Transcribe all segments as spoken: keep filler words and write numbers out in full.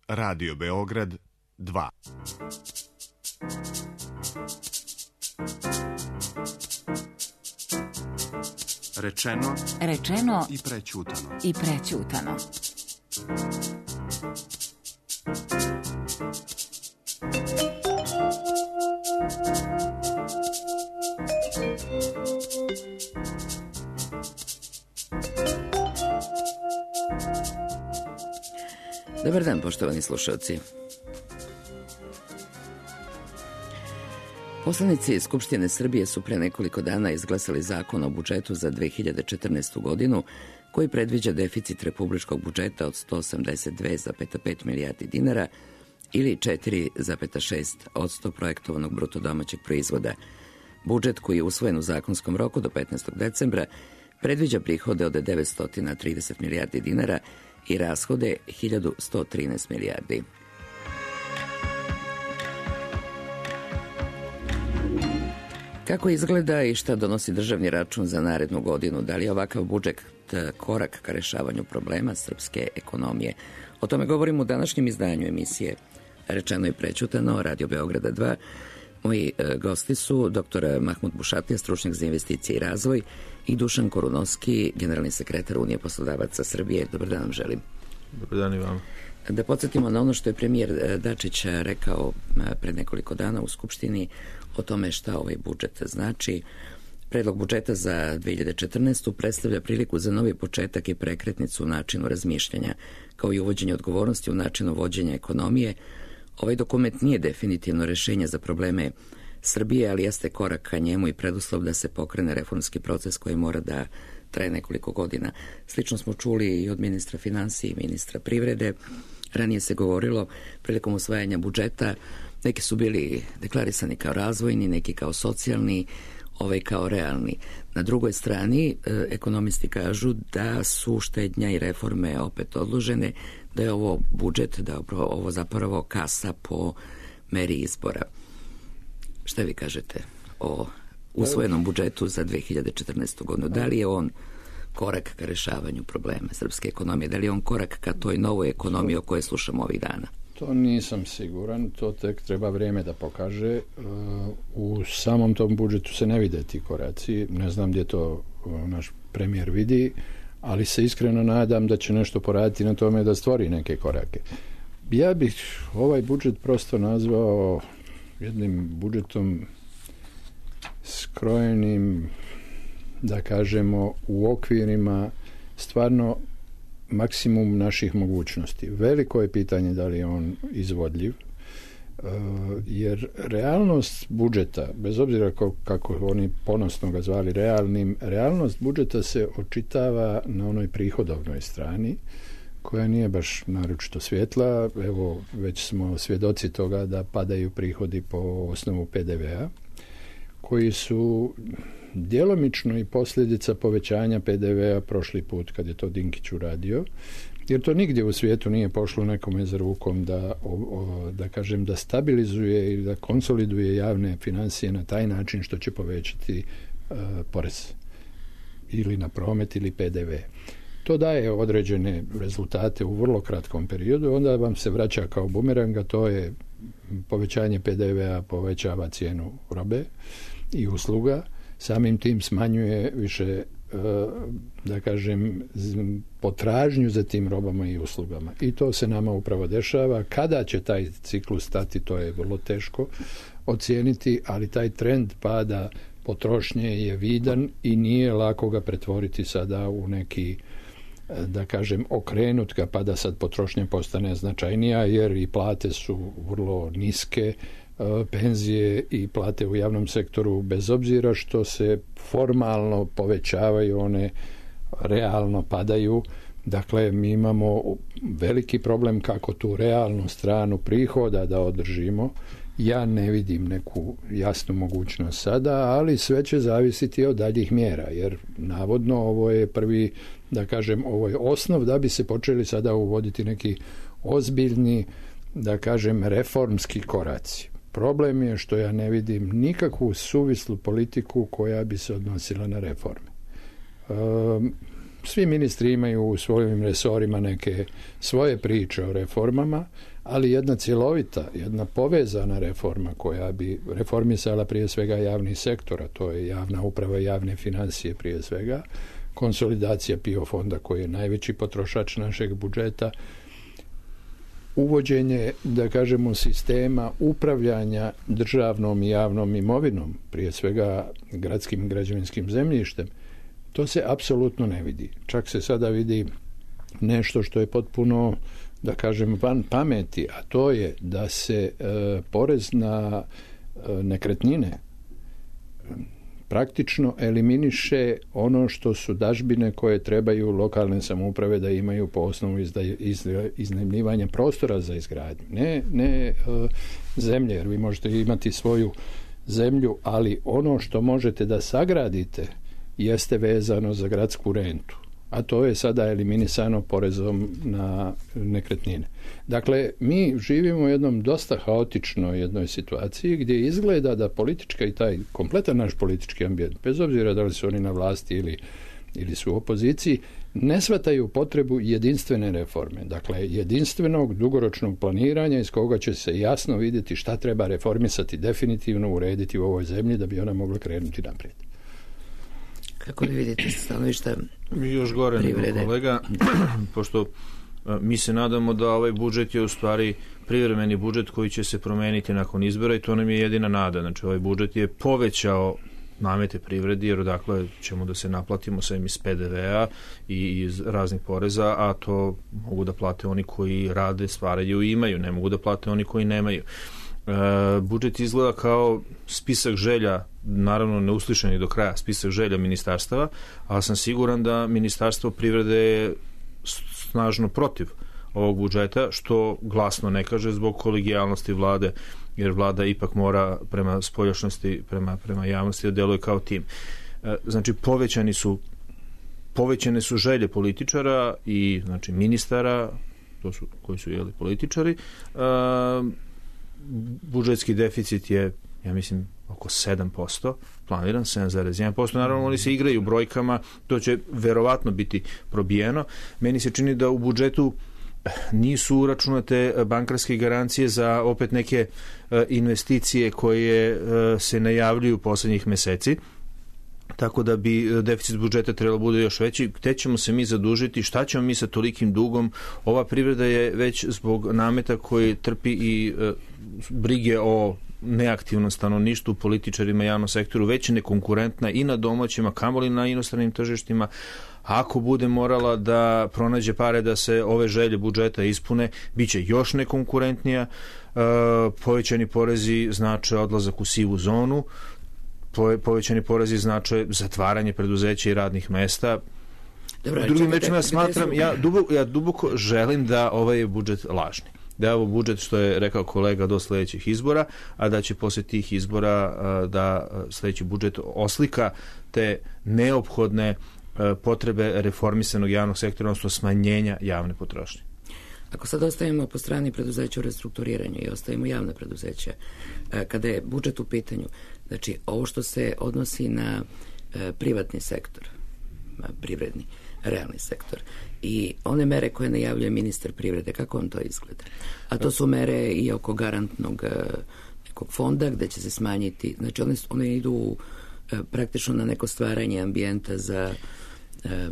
Radio Beograd dva. Rečeno, rečeno i prećutano. I prećutano. Dobar dan, poštovani slušalci. Poslanici Skupštine Srbije su pre nekoliko dana izglasali zakon o budžetu za dve hiljade četrnaestu. godinu, koji predviđa deficit republičkog budžeta od sto osamdeset dve zarez pet milijardi dinara ili četiri zarez šest posto projektovanog bruto domaćeg proizvoda. Budžet koji je usvojen u zakonskom roku do petnaestog decembra predviđa prihode od devetsto trideset milijardi dinara i rashode hiljadu sto trinaest milijardi. Kako izgleda i šta donosi državni račun za narednu godinu? Da li je ovakav budžet korak ka rešavanju problema srpske ekonomije? O tome govorimo u današnjem izdanju emisije Rečeno i prećutano, Radio Beograda dva. Moji gosti su dr Mahmud Bušatija, stručnjak za investicije i razvoj, i Dušan Korunovski, generalni sekretar Unije poslodavaca Srbije. Dobar dan vam želim. Dobar dan i vam. Da podsjetimo na ono što je premijer Dačić rekao pred nekoliko dana u Skupštini o tome šta ovaj budžet znači. Predlog budžeta za dve hiljade četrnaestu. predstavlja priliku za novi početak i prekretnicu u načinu razmišljanja, kao i uvođenje odgovornosti u načinu vođenja ekonomije. Ovaj dokument nije definitivno rešenje za probleme Srbije, ali jeste korak ka njemu i preduslov da se pokrene reformski proces koji mora da traje nekoliko godina. Slično smo čuli i od ministra finansija i ministra privrede. Ranije se govorilo prilikom usvajanja budžeta, neki su bili deklarisani kao razvojni, neki kao socijalni, ovaj kao realni. Na drugoj strani, ekonomisti kažu da su štednja i reforme opet odložene, da je ovo budžet, da je ovo zapravo kasa po meri izbora. Šta vi kažete o usvojenom budžetu za dve hiljade četrnaestu. godinu? Da li je on korak ka rešavanju problema srpske ekonomije? Da li je on korak ka toj novoj ekonomiji o kojoj slušamo ovih dana? To nisam siguran, to tek treba vrijeme da pokaže. U samom tom budžetu se ne vide ti koraci, ne znam gdje to naš premijer vidi, ali se iskreno nadam da će nešto poraditi na tome da stvori neke korake. Ja bih ovaj budžet prosto nazvao jednim budžetom skrojenim, da kažemo, u okvirima stvarno maksimum naših mogućnosti. Veliko je pitanje da li je on izvodljiv, jer realnost budžeta, bez obzira kako oni ponosno ga zvali realnim, realnost budžeta se očitava na onoj prihodovnoj strani, koja nije baš naročito svjetla. Evo, već smo svjedoci toga da padaju prihodi po osnovu pe de ve a, koji su djelomično i posljedica povećanja pe de ve a prošli put kad je to Dinkić uradio, jer to nigdje u svijetu nije pošlo nekome za rukom da, o, o, da kažem, da stabilizuje ili da konsoliduje javne financije na taj način što će povećati uh, porez ili na promet ili pe de ve. To daje određene rezultate u vrlo kratkom periodu, onda vam se vraća kao bumeranga, to je povećanje pe de ve a povećava cijenu robe i usluga, samim tim smanjuje više, da kažem, potražnju za tim robama i uslugama. I to se nama upravo dešava. Kada će taj ciklus stati, to je vrlo teško ocijeniti, ali taj trend pada potrošnje je vidan i nije lako ga pretvoriti sada u neki, da kažem, okrenut ga pa da sad potrošnja postane značajnija, jer i plate su vrlo niske, penzije i plate u javnom sektoru, bez obzira što se formalno povećavaju, one realno padaju. Dakle, mi imamo veliki problem kako tu realnu stranu prihoda da održimo. Ja ne vidim neku jasnu mogućnost sada, ali sve će zavisiti od daljih mjera, jer navodno ovo je prvi, da kažem, ovo je osnov da bi se počeli sada uvoditi neki ozbiljni, da kažem, reformski koraci. Problem je što ja ne vidim nikakvu suvislu politiku koja bi se odnosila na reforme. E, svi ministri imaju u svojim resorima neke svoje priče o reformama, ali jedna cjelovita, jedna povezana reforma koja bi reformisala prije svega javni sektor, a to je javna uprava i javne financije prije svega, konsolidacija P I O fonda koji je najveći potrošač našeg budžeta, uvođenje, da kažemo, sistema upravljanja državnom i javnom imovinom, prije svega gradskim i građevinskim zemljištem, to se apsolutno ne vidi. Čak se sada vidi nešto što je potpuno, da kažem, van pameti, a to je da se e, porez na e, nekretnine praktično eliminiše ono što su dažbine koje trebaju lokalne samouprave da imaju po osnovu iznajmljivanja prostora za izgradnju. Ne, ne uh, zemlje, jer vi možete imati svoju zemlju, ali ono što možete da sagradite jeste vezano za gradsku rentu, a to je sada eliminisano porezom na nekretnine. Dakle, mi živimo u jednom dosta haotičnoj jednoj situaciji gdje izgleda da politička i taj kompletan naš politički ambijent, bez obzira da li su oni na vlasti ili, ili su u opoziciji, ne shvataju potrebu jedinstvene reforme. Dakle, jedinstvenog dugoročnog planiranja iz koga će se jasno vidjeti šta treba reformisati, definitivno urediti u ovoj zemlji da bi ona mogla krenuti naprijed. Kako vi vidite stanovišta još gore nego kolega, pošto mi se nadamo da ovaj budžet je u stvari privremeni budžet koji će se promeniti nakon izbora i to nam je jedina nada. Znači, ovaj budžet je povećao namete privredi, jer odakle ćemo da se naplatimo sve iz P D V-a i iz raznih poreza, a to mogu da plate oni koji rade, stvaraju i imaju, ne mogu da plate oni koji nemaju. E, budžet izgleda kao spisak želja, naravno neuslišeni do kraja, spisak želja ministarstava, ali sam siguran da Ministarstvo privrede je snažno protiv ovog budžeta, što glasno ne kaže zbog kolegijalnosti vlade, jer vlada ipak mora prema spoljašnosti, prema, prema javnosti da deluje kao tim. E, znači, povećani su povećane su želje političara i znači ministara, to su, koji su jeli političari. E, budžetski deficit je, ja mislim, oko sedam posto, planiran sedam zarez jedan posto. Naravno, oni se igraju brojkama, to će verovatno biti probijeno. Meni se čini da u budžetu nisu uračunate bankarske garancije za opet neke investicije koje se najavljuju poslednjih meseci, tako da bi deficit budžeta trebalo bude još veći. Gde ćemo se mi zadužiti, šta ćemo mi sa tolikim dugom? Ova privreda je već zbog nameta koji trpi i brige o neaktivnom stanovništvu, političarima, javnom sektoru, već nekonkurentna i na domaćim, a kamoli na inostranim tržištima. Ako bude morala da pronađe pare da se ove želje budžeta ispune, bit će još nekonkurentnija. E, povećani porezi znače odlazak u sivu zonu, povećani porezi znače zatvaranje preduzeća i radnih mesta. Dobro, drugim rečima, ja smatram, ja duboko, ja duboko želim da ovaj budžet lažni. Da je ovo budžet, što je rekao kolega, do sledećih izbora, a da će posle tih izbora da sledeći budžet oslika te neophodne potrebe reformisanog javnog sektora, odnosno smanjenja javne potrošnje. Ako sad ostavimo po strani preduzeća u restrukturiranju i ostavimo javne preduzeća, kada je budžet u pitanju, znači ovo što se odnosi na privatni sektor, privredni, realni sektor i one mere koje najavljuje ministar privrede, kako on to izgleda? A to su mere i oko garantnog nekog fonda gde će se smanjiti, znači one, one idu praktično na neko stvaranje ambijenta za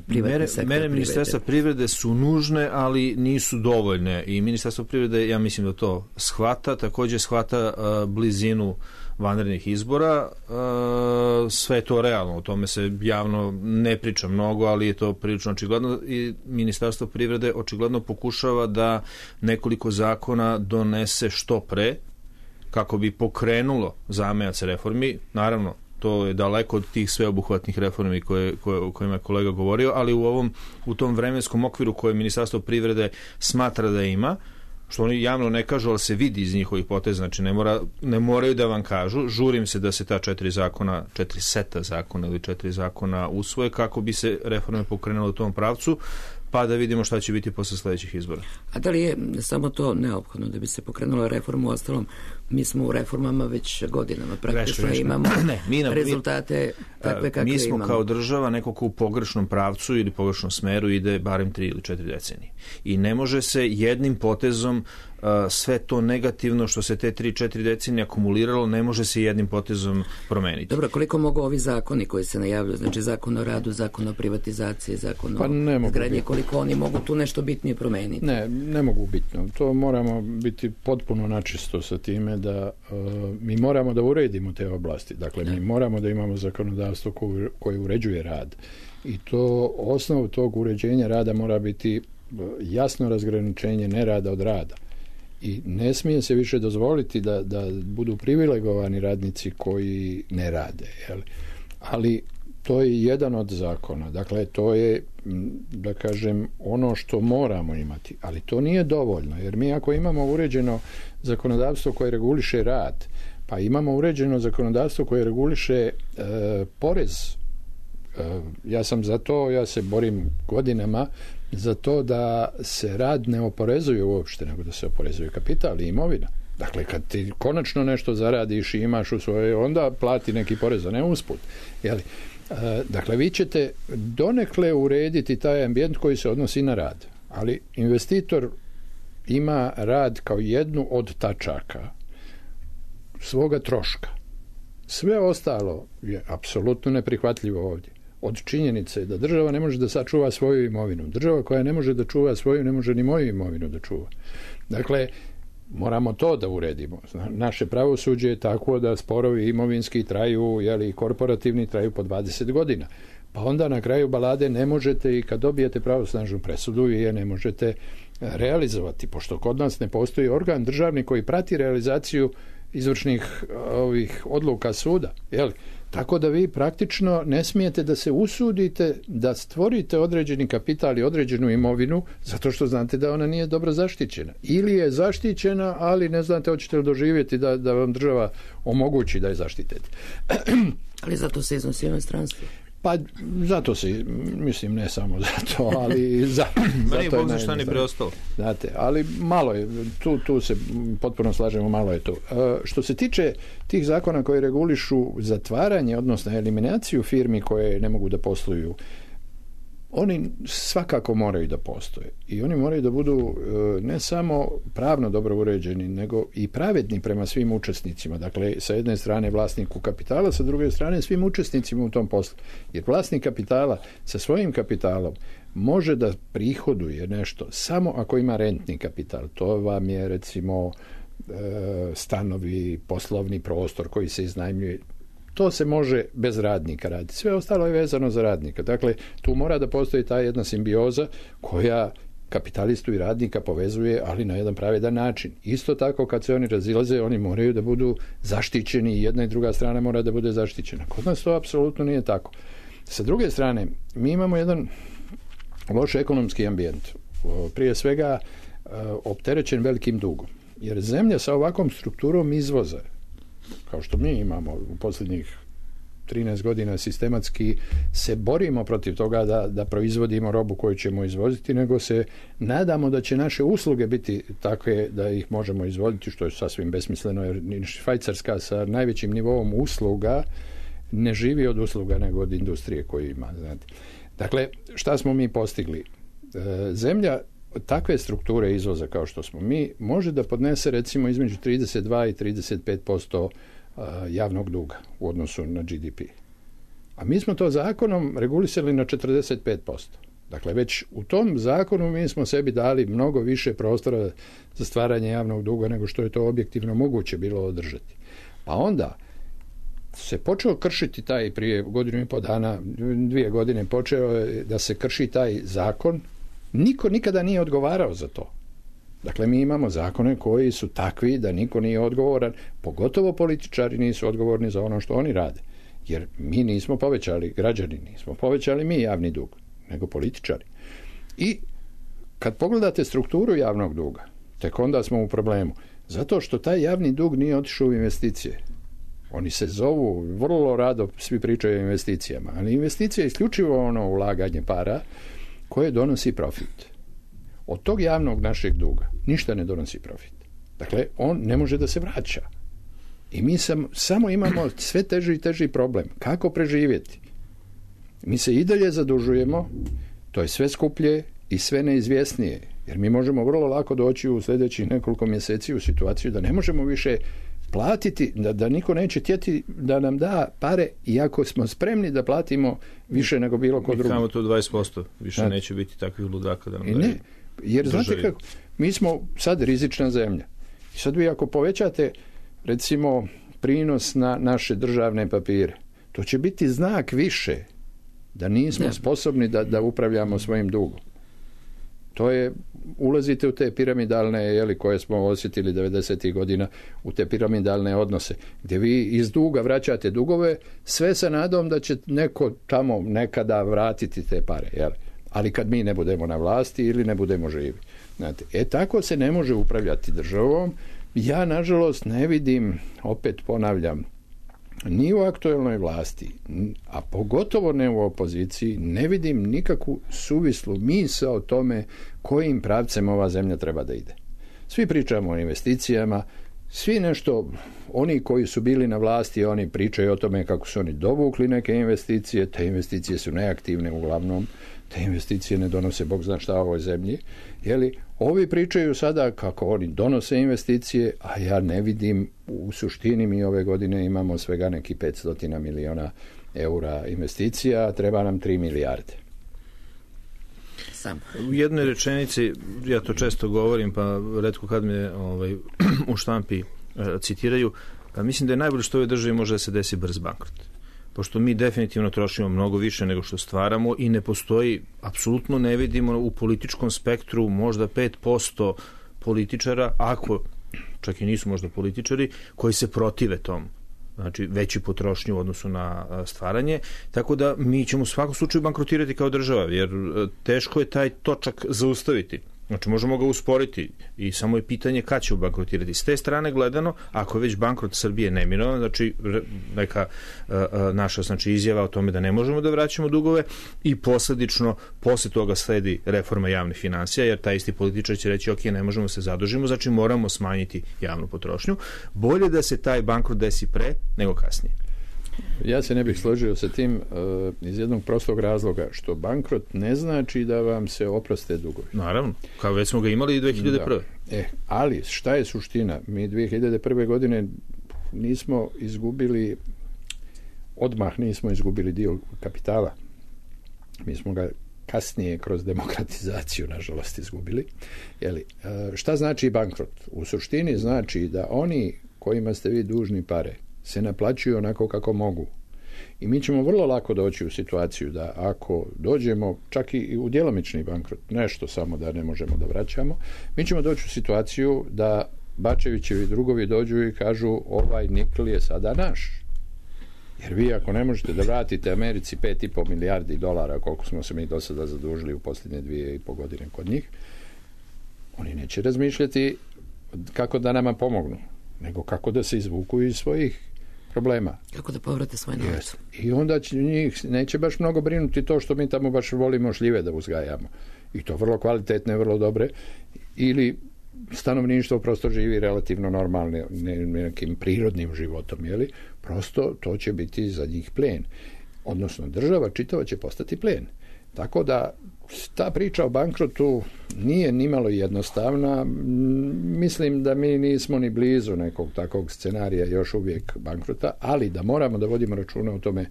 privatni mere, sektor mere privrede. Ministarstva privrede su nužne, ali nisu dovoljne i Ministarstvo privrede, ja mislim da to shvata, takođe shvata uh, blizinu vanrednih izbora, uh, sve je to realno, o tome se javno ne priča mnogo, ali je to prilično očigledno i Ministarstvo privrede očigledno pokušava da nekoliko zakona donese što pre, kako bi pokrenulo zamajac reformi. Naravno, to je daleko od tih sveobuhvatnih reformi koje, koje, o kojima je kolega govorio, ali u ovom, u tom vremenskom okviru koje Ministarstvo privrede smatra da ima, što oni javno ne kažu, ali se vidi iz njihovih poteza, znači ne, mora, ne moraju da vam kažu, žurim se da se ta četiri zakona, četiri seta zakona ili četiri zakona usvoje kako bi se reforme pokrenule u tom pravcu, pa da vidimo šta će biti posle sledećih izbora. A da li je samo to neophodno da bi se pokrenula reforma? U ostalom, mi smo u reformama već godinama, praktično Greška, imamo ne, mi na, rezultate takve kakve imamo. Mi smo kao država neko ko u pogrešnom pravcu ili pogrešnom smeru ide barem tri ili četiri decenije. I ne može se jednim potezom uh, sve to negativno što se te tri četiri decenije akumuliralo, ne može se jednim potezom promeniti. Dobro, koliko mogu ovi zakoni koji se najavljuju, znači zakon o radu, zakon o privatizaciji, zakon pa o zgradnji, koliko oni mogu tu nešto bitnije promeniti? Ne, ne mogu bitno. To moramo biti potpuno načisto sa time da uh, mi moramo da uredimo te oblasti. Dakle, mi moramo da imamo zakonodavstvo koje, koje uređuje rad. I to osnov tog uređenja rada mora biti jasno razgraničenje nerada od rada. I ne smije se više dozvoliti da, da budu privilegovani radnici koji ne rade. Jel? Ali to je jedan od zakona. Dakle, to je, da kažem, ono što moramo imati. Ali to nije dovoljno. Jer mi ako imamo uređeno zakonodavstvo koje reguliše rad, pa imamo uređeno zakonodavstvo koje reguliše e, porez, e, ja sam za to, ja se borim godinama za to da se rad ne oporezuje uopšte, nego da se oporezuje kapital i imovina. Dakle, kad ti konačno nešto zaradiš i imaš u svoje, onda plati neki porez, a ne usput. Jeli? E, dakle, vi ćete donekle urediti taj ambijent koji se odnosi na rad. Ali investitor ima rad kao jednu od tačaka svoga troška. Sve ostalo je apsolutno neprihvatljivo ovdje. Od činjenice da država ne može da sačuva svoju imovinu. Država koja ne može da čuva svoju, ne može ni moju imovinu da čuva. Dakle, moramo to da uredimo. Naše pravosuđe je tako da sporovi imovinski traju, jeli, korporativni traju po dvadeset godina. Pa onda na kraju balade ne možete, i kad dobijete pravosnažnu presudu, je ne možete realizovati, pošto kod nas ne postoji organ državni koji prati realizaciju izvršnih ovih odluka suda. Jeli? Tako da vi praktično ne smijete da se usudite da stvorite određeni kapital i određenu imovinu zato što znate da ona nije dobro zaštićena. Ili je zaštićena, ali ne znate hoćete li doživjeti da, da vam država omogući da je zaštitite. Ali zato se iznosi inostranstvo. Pa zato se, mislim, ne samo zato, ali za, zato je šta ni preostalo. Znate, ali malo je, tu, tu se potpuno slažemo, malo je to. E, što se tiče tih zakona koji regulišu zatvaranje, odnosno eliminaciju firmi koje ne mogu da posluju, oni svakako moraju da postoje. I oni moraju da budu e, ne samo pravno dobro uređeni, nego i pravedni prema svim učesnicima. Dakle, sa jedne strane vlasniku kapitala, sa druge strane svim učesnicima u tom poslu. Jer vlasnik kapitala sa svojim kapitalom može da prihoduje nešto samo ako ima rentni kapital. To vam je, recimo, e, stanovi, poslovni prostor koji se iznajmljuje. To se može bez radnika raditi. Sve ostalo je vezano za radnika. Dakle, tu mora da postoji ta jedna simbioza koja kapitalistu i radnika povezuje, ali na jedan pravedan način. Isto tako, kad se oni razilaze, oni moraju da budu zaštićeni i jedna i druga strana mora da bude zaštićena. Kod nas to apsolutno nije tako. Sa druge strane, mi imamo jedan loš ekonomski ambijent. Prije svega, opterećen velikim dugom. Jer zemlja sa ovakvom strukturom izvoza, kao što mi imamo u posljednjih trinaest godina sistematski se borimo protiv toga da, da proizvodimo robu koju ćemo izvoziti, nego se nadamo da će naše usluge biti takve da ih možemo izvoziti, što je sasvim besmisleno, jer Švajcarska sa najvećim nivoom usluga ne živi od usluga nego od industrije koju ima. Znate. Dakle, šta smo mi postigli? E, zemlja takve strukture izvoza kao što smo mi može da podnese recimo između trideset dva i trideset pet posto javnog duga u odnosu na G D P. A mi smo to zakonom regulisali na četrdeset pet posto. Dakle, već u tom zakonu mi smo sebi dali mnogo više prostora za stvaranje javnog duga nego što je to objektivno moguće bilo održati. Pa onda se počeo kršiti taj, prije godinu i po dana, dvije godine počeo da se krši taj zakon. Niko nikada nije odgovarao za to. Dakle, mi imamo zakone koji su takvi da niko nije odgovoran, pogotovo političari nisu odgovorni za ono što oni rade. Jer mi nismo povećali, građani nismo povećali mi javni dug, nego političari. I kad pogledate strukturu javnog duga, tek onda smo u problemu. Zato što taj javni dug nije otišao u investicije. Oni se zovu, vrlo rado svi pričaju o investicijama, ali investicija je isključivo ono ulaganje para koje donosi profit. Od tog javnog našeg duga ništa ne donosi profit. Dakle, on ne može da se vraća. I mi sam, samo imamo sve teži i teži problem. Kako preživjeti? Mi se i dalje zadužujemo, to je sve skuplje i sve neizvjesnije. Jer mi možemo vrlo lako doći u sljedećih nekoliko mjeseci u situaciju da ne možemo više platiti, da, da niko neće htjeti da nam da pare, iako smo spremni da platimo više nego bilo ko drugi. Mi kamo to dvadeset posto, više znači, neće biti takvih ludaka da nam daju. Ne, jer državi. Znate kako, mi smo sad rizična zemlja. I sad vi ako povećate, recimo, prinos na naše državne papire, to će biti znak više da nismo ne. sposobni da, da upravljamo svojim dugom. To je, ulazite u te piramidalne, jeli, koje smo osjetili devedesetih godina, u te piramidalne odnose, gdje vi iz duga vraćate dugove, sve sa nadom da će neko tamo nekada vratiti te pare, jeli. Ali kad mi ne budemo na vlasti ili ne budemo živi. Znate, e tako se ne može upravljati državom. Ja, nažalost, ne vidim, opet ponavljam, ni u aktuelnoj vlasti, a pogotovo ne u opoziciji, ne vidim nikakvu suvislu misao o tome kojim pravcem ova zemlja treba da ide. Svi pričamo o investicijama, svi nešto, oni koji su bili na vlasti, oni pričaju o tome kako su oni dovukli neke investicije, te investicije su neaktivne uglavnom, te investicije ne donose bog zna šta u ovoj zemlji, jeli, ovi pričaju sada kako oni donose investicije, a ja ne vidim, u suštini mi ove godine imamo svega neki petsto miliona eura investicija, treba nam tri milijarde. Sam. U jednoj rečenici, ja to često govorim, pa retko kad me ovaj, u štampi e, citiraju, pa mislim da je najbolje što u ovoj državi može da se desi brz bankrot. Pošto mi definitivno trošimo mnogo više nego što stvaramo i ne postoji, apsolutno ne vidimo u političkom spektru možda pet posto političara, ako čak i nisu možda političari, koji se protive tom. Znači veći potrošnju u odnosu na stvaranje, tako da mi ćemo u svakom slučaju bankrotirati kao država, jer teško je taj točak zaustaviti. Znači možemo ga usporiti i samo je pitanje kad ćemo bankrotirati. S te strane gledano, ako je već bankrot Srbije neminovan, znači neka uh, naša znači, izjava o tome da ne možemo da vraćamo dugove i posledično posle toga sledi reforma javnih finansija, jer taj isti političar će reći ok, ne možemo se zadužimo, znači moramo smanjiti javnu potrošnju. Bolje da se taj bankrot desi pre nego kasnije. Ja se ne bih složio sa tim uh, iz jednog prostog razloga, što bankrot ne znači da vam se oproste dugovi. Naravno, kao već smo ga imali i dve hiljade prve. Da. E, ali šta je suština? Mi dve hiljade prve godine nismo izgubili, odmah nismo izgubili dio kapitala. Mi smo ga kasnije kroz demokratizaciju, nažalost, izgubili. Jeli, uh, šta znači bankrot? U suštini znači da oni kojima ste vi dužni pare se naplaćuju onako kako mogu. I mi ćemo vrlo lako doći u situaciju da ako dođemo čak i u djelomični bankrot, nešto samo da ne možemo da vraćamo, mi ćemo doći u situaciju da Bačevićevi drugovi dođu i kažu ovaj nikl je sada naš. Jer vi ako ne možete da vratite Americi pet i pol milijardi dolara, koliko smo se mi do sada zadužili u posljednje dvije i pol godine kod njih, oni neće razmišljati kako da nama pomognu, nego kako da se izvuku iz svojih problema. Kako da povrate svoj novac. Yes. I onda će njih neće baš mnogo brinuti to što mi tamo baš volimo šljive da uzgajamo. I to vrlo kvalitetne, vrlo dobre. Ili stanovništvo prosto živi relativno normalno, ne, nekim prirodnim životom, jeli? Prosto to će biti za njih plen. Odnosno država čitava će postati plen. Tako da ta priča o bankrotu nije nimalo jednostavna. Mislim da mi nismo ni blizu nekog takvog scenarija još uvijek bankrota, ali da moramo da vodimo računa o tome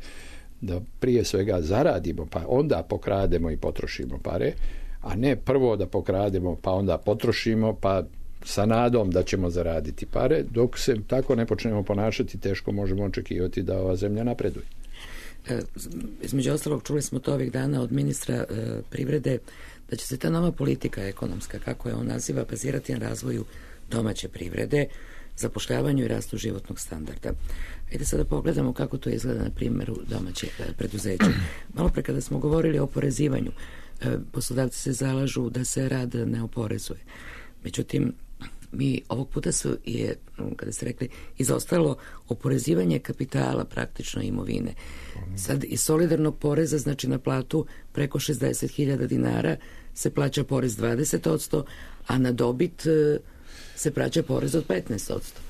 da prije svega zaradimo, pa onda pokrademo i potrošimo pare, a ne prvo da pokrademo, pa onda potrošimo, pa sa nadom da ćemo zaraditi pare. Dok se tako ne počnemo ponašati, teško možemo očekivati da ova zemlja napreduje. E, između ostalog, čuli smo to ovih dana od ministra e, privrede, da će se ta nova politika ekonomska, kako je on naziva, bazirati na razvoju domaće privrede, zapošljavanju i rastu životnog standarda. Ajde sada pogledamo kako to izgleda na primjeru domaćeg preduzeća. Malo pre kada smo govorili o oporezivanju, e, poslodavci se zalažu da se rad ne oporezuje. Međutim, mi ovog puta su je, kada ste rekli, izostalo oporezivanje kapitala, praktično imovine. Sad iz solidarnog poreza, znači na platu preko šezdeset hiljada dinara se plaća porez dvadeset posto, a na dobit se plaća porez od petnaest posto.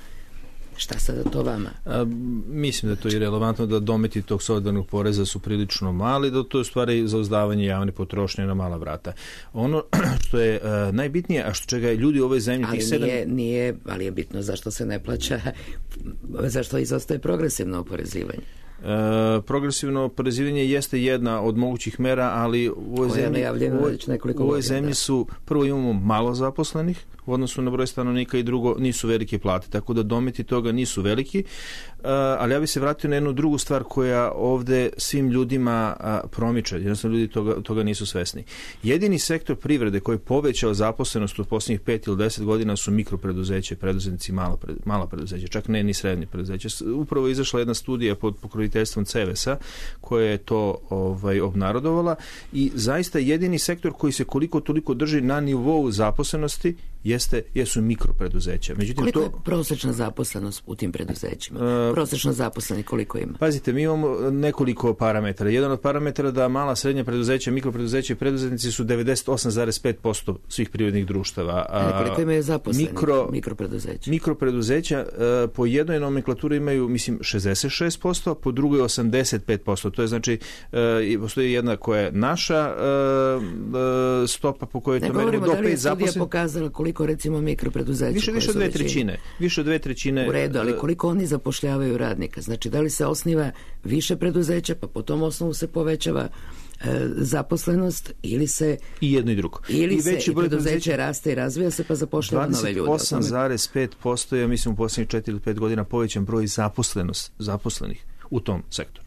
Šta sada to vama? A, mislim da je to i relevantno da dometi tog solidarnog poreza su prilično mali, da to je u stvari zauzdavanje javne potrošnje na mala vrata. Ono što je a, najbitnije, a što čega je ljudi u ovoj zemlji... Ali, tih sedam... nije, nije, ali je bitno zašto se ne plaća, zašto izostaje progresivno oporezivanje. E, progresivno oporezivanje jeste jedna od mogućih mera, ali u ovoj zemlji, u ovoj, u ovoj zemlji su, prvo imamo malo zaposlenih u odnosu na broj stanovnika i drugo nisu velike plate, tako da dometi toga nisu veliki, ali ja bih se vratio na jednu drugu stvar koja ovde svim ljudima promiče, jednostavno ljudi toga, toga nisu svesni. Jedini sektor privrede koji je povećao zaposlenost u posljednjih pet ili deset godina su mikropreduzeće, preduzetnici, mala, mala preduzeća, čak ne ni srednje preduzeće. Upravo je izašla jedna studija pod pokroviteljstvom Cevesa koja je to ovaj, obnarodovala i zaista jedini sektor koji se koliko toliko drži na nivou zaposlenosti jeste, jesu mikropreduzeća. Međutim, koliko to, je prosječna zaposlenost u tim preduzećima? Uh, Prosečno zaposleni koliko ima? Pazite, mi imamo nekoliko parametara. Jedan od parametara da mala, srednja preduzeća, mikropreduzeća i preduzetnici su devedeset osam zarez pet posto svih privrednih društava. A koliko imaju zaposlenih mikro, mikropreduzeća? Mikropreduzeća uh, po jednoj nomenklaturi imaju, mislim, šezdeset šest posto, a po drugoj osamdeset pet posto. To je znači, uh, postoji jedna koja je naša uh, uh, stopa po kojoj ne to merimo do pet zaposlenih. Da li je studija pokazala koliko recimo mikropreduzeća? Više, više od dve trećine. Više od dve trećine. U redu, ali koliko oni zapošljavaju radnika? Znači, da li se osniva više preduzeća, pa po tom osnovu se povećava e, zaposlenost, ili se... I jedno i drugo. Ili I se i preduzeće raste i razvija se, pa zapošljava nove ljude. dvadeset osam zarez pet posto, ja mislim, u posljednjih četiri ili pet godina povećan broj zaposlenost, zaposlenih u tom sektoru.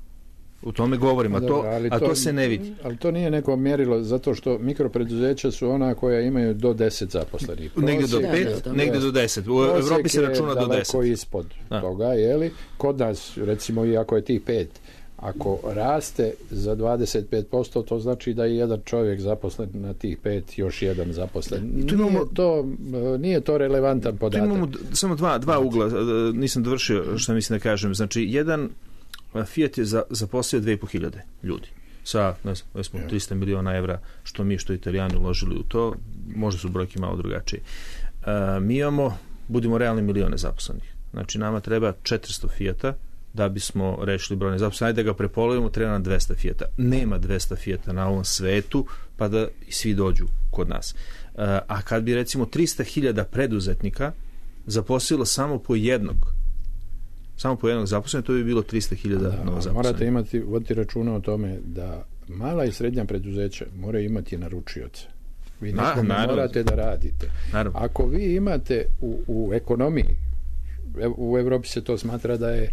U tome govorimo, a to, a to, to se ne vidi. Ali to nije neko mjerilo, zato što mikropreduzeća su ona koja imaju do deset zaposlenih. Negde do pet, da, negde do deset. U Evropi se računa do deset. Prosjek je ispod da. toga, jeli? Kod nas, recimo, i ako je tih pet, ako raste za dvadeset pet posto, to znači da je jedan čovjek zaposlen na tih pet, još jedan zaposlen. Nije, imamo, to, nije to relevantan podatak. Tu imamo samo dva, dva ugla, nisam dovršio što mislim da kažem. Znači, jedan Fiat je za, zaposlio dve i po hiljade ljudi sa, ne znam, smo trista miliona evra, što mi, što Italijani uložili u to, možda su brojke malo drugačije. E, mi imamo, budimo realni, milione zaposlenih. Znači, nama treba četiristo Fiata da bismo rešili broj nezaposlenih. Ajde da ga prepolovimo, treba nam dvesta Fiata. Nema dvesta Fiata na ovom svetu, pa da svi dođu kod nas. E, a kad bi, recimo, trista hiljada preduzetnika zaposlilo samo po jednog samo po jednog zaposlenog, to bi bilo trista hiljada novo zaposlenih. Morate imati, voditi računa o tome da mala i srednja preduzeća moraju imati naručioce. Vi Na, nekome naravno. morate da radite. Naravno. Ako vi imate u, u ekonomiji, u Evropi se to smatra da je,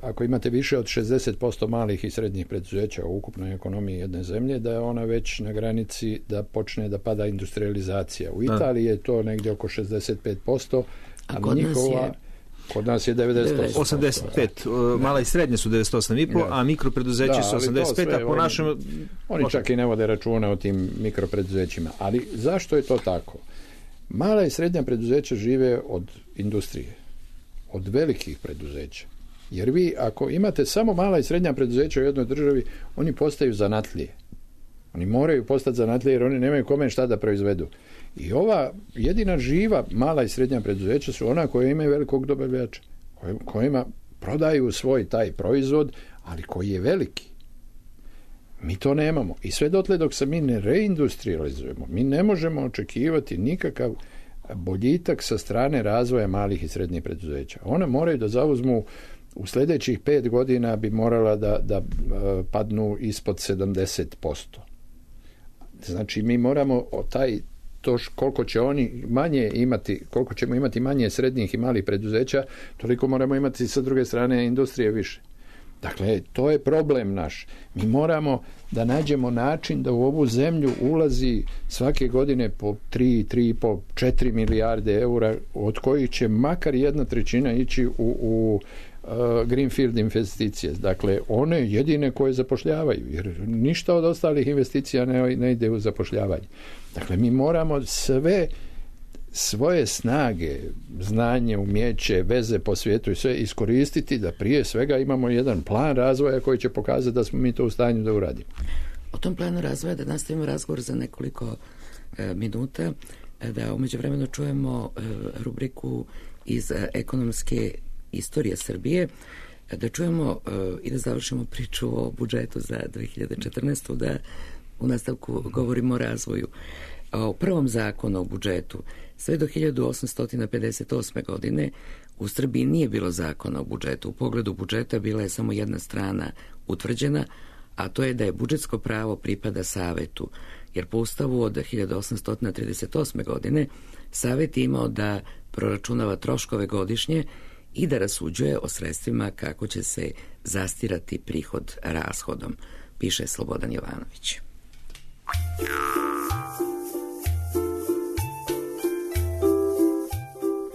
ako imate više od šezdeset posto malih i srednjih preduzeća u ukupnoj ekonomiji jedne zemlje, da je ona već na granici da počne da pada industrializacija. U Italiji je to negdje oko šezdeset pet posto, a kod njihova... je Kod nas je devedeset osam. osamdeset pet. Mala i srednje su devedeset osam i po, a mikropreduzeće su osamdeset pet, a po oni, našem... Oni čak i ne vode računa o tim mikropreduzećima. Ali zašto je to tako? Mala i srednja preduzeća žive od industrije, od velikih preduzeća. Jer vi, ako imate samo mala i srednja preduzeća u jednoj državi, oni postaju zanatlije. Oni moraju postati zanatlije jer oni nemaju kome šta da proizvedu. I ova jedina živa mala i srednja preduzeća su ona koja imaju velikog dobavljača, kojima prodaju svoj taj proizvod, ali koji je veliki. Mi to nemamo. I sve dotle dok se mi ne reindustrializujemo, mi ne možemo očekivati nikakav boljitak sa strane razvoja malih i srednjih preduzeća. One moraju da zauzmu, u sljedećih pet godina bi morala da, da padnu ispod sedamdeset posto. Znači, mi moramo o taj to koliko će oni manje imati, koliko ćemo imati manje srednjih i malih preduzeća, toliko moramo imati sa druge strane industrije više. Dakle, to je problem naš. Mi moramo da nađemo način da u ovu zemlju ulazi svake godine po tri, tri i po, četiri milijarde eura, od kojih će makar jedna trećina ići u, u uh, greenfield investicije. Dakle, one jedine koje zapošljavaju, jer ništa od ostalih investicija ne, ne ide u zapošljavanje. Dakle, mi moramo sve svoje snage, znanje, umjeće, veze po svijetu i sve iskoristiti da prije svega imamo jedan plan razvoja koji će pokazati da smo mi to u stanju da uradimo. O tom planu razvoja da nastavimo razgovor za nekoliko e, minuta. da umeđu vremenu čujemo rubriku iz ekonomske istorije Srbije, da čujemo i da završimo priču o budžetu za dve hiljade četrnaestu. Da u nastavku govorimo o razvoju. O prvom zakonu o budžetu sve do hiljadu osamsto pedeset osme. godine u Srbiji nije bilo zakona o budžetu. U pogledu budžeta bila je samo jedna strana utvrđena, a to je da je budžetsko pravo pripada Savetu, jer po ustavu od hiljadu osamsto trideset osme. godine Savet je imao da proračunava troškove godišnje i da rasuđuje o sredstvima kako će se zastirati prihod rashodom, piše Slobodan Jovanović.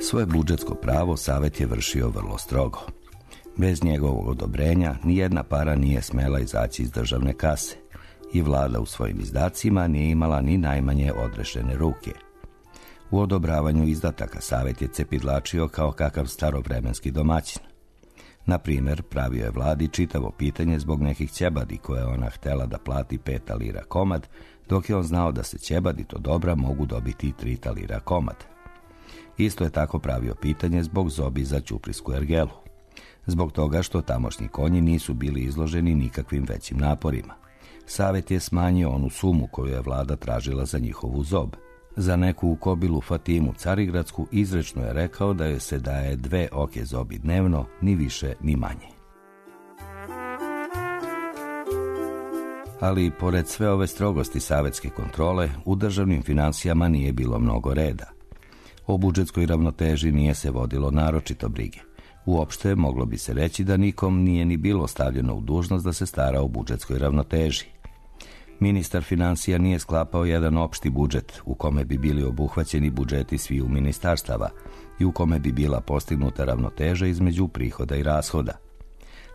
Svoje budžetsko pravo Savet je vršio vrlo strogo. Bez njegovog odobrenja nijedna para nije smela izaći iz državne kase i vlada u svojim izdacima nije imala ni najmanje odrešene ruke. U odobravanju izdataka Savet je cepidlačio kao kakav starovremenski domaćin. Na primjer, pravio je vladi čitavo pitanje zbog nekih ćebadi koje ona htela da plati pet talira komad, dok je on znao da se ćebadi to dobra mogu dobiti i tri talira komad. Isto je tako pravio pitanje zbog zobi za ćuprisku ergelu, zbog toga što tamošnji konji nisu bili izloženi nikakvim većim naporima. Savet je smanjio onu sumu koju je vlada tražila za njihovu zob. Za neku kobilu Fatimu Carigradsku izrečno je rekao da joj se daje dve oke zobi dnevno, ni više ni manje. Ali, pored sve ove strogosti savetske kontrole, u državnim finansijama nije bilo mnogo reda. O budžetskoj ravnoteži nije se vodilo naročito brige. Uopšte moglo bi se reći da nikom nije ni bilo stavljeno u dužnost da se stara o budžetskoj ravnoteži. Ministar finansija nije sklapao jedan opšti budžet u kome bi bili obuhvaćeni budžeti sviju ministarstava i u kome bi bila postignuta ravnoteža između prihoda i rashoda.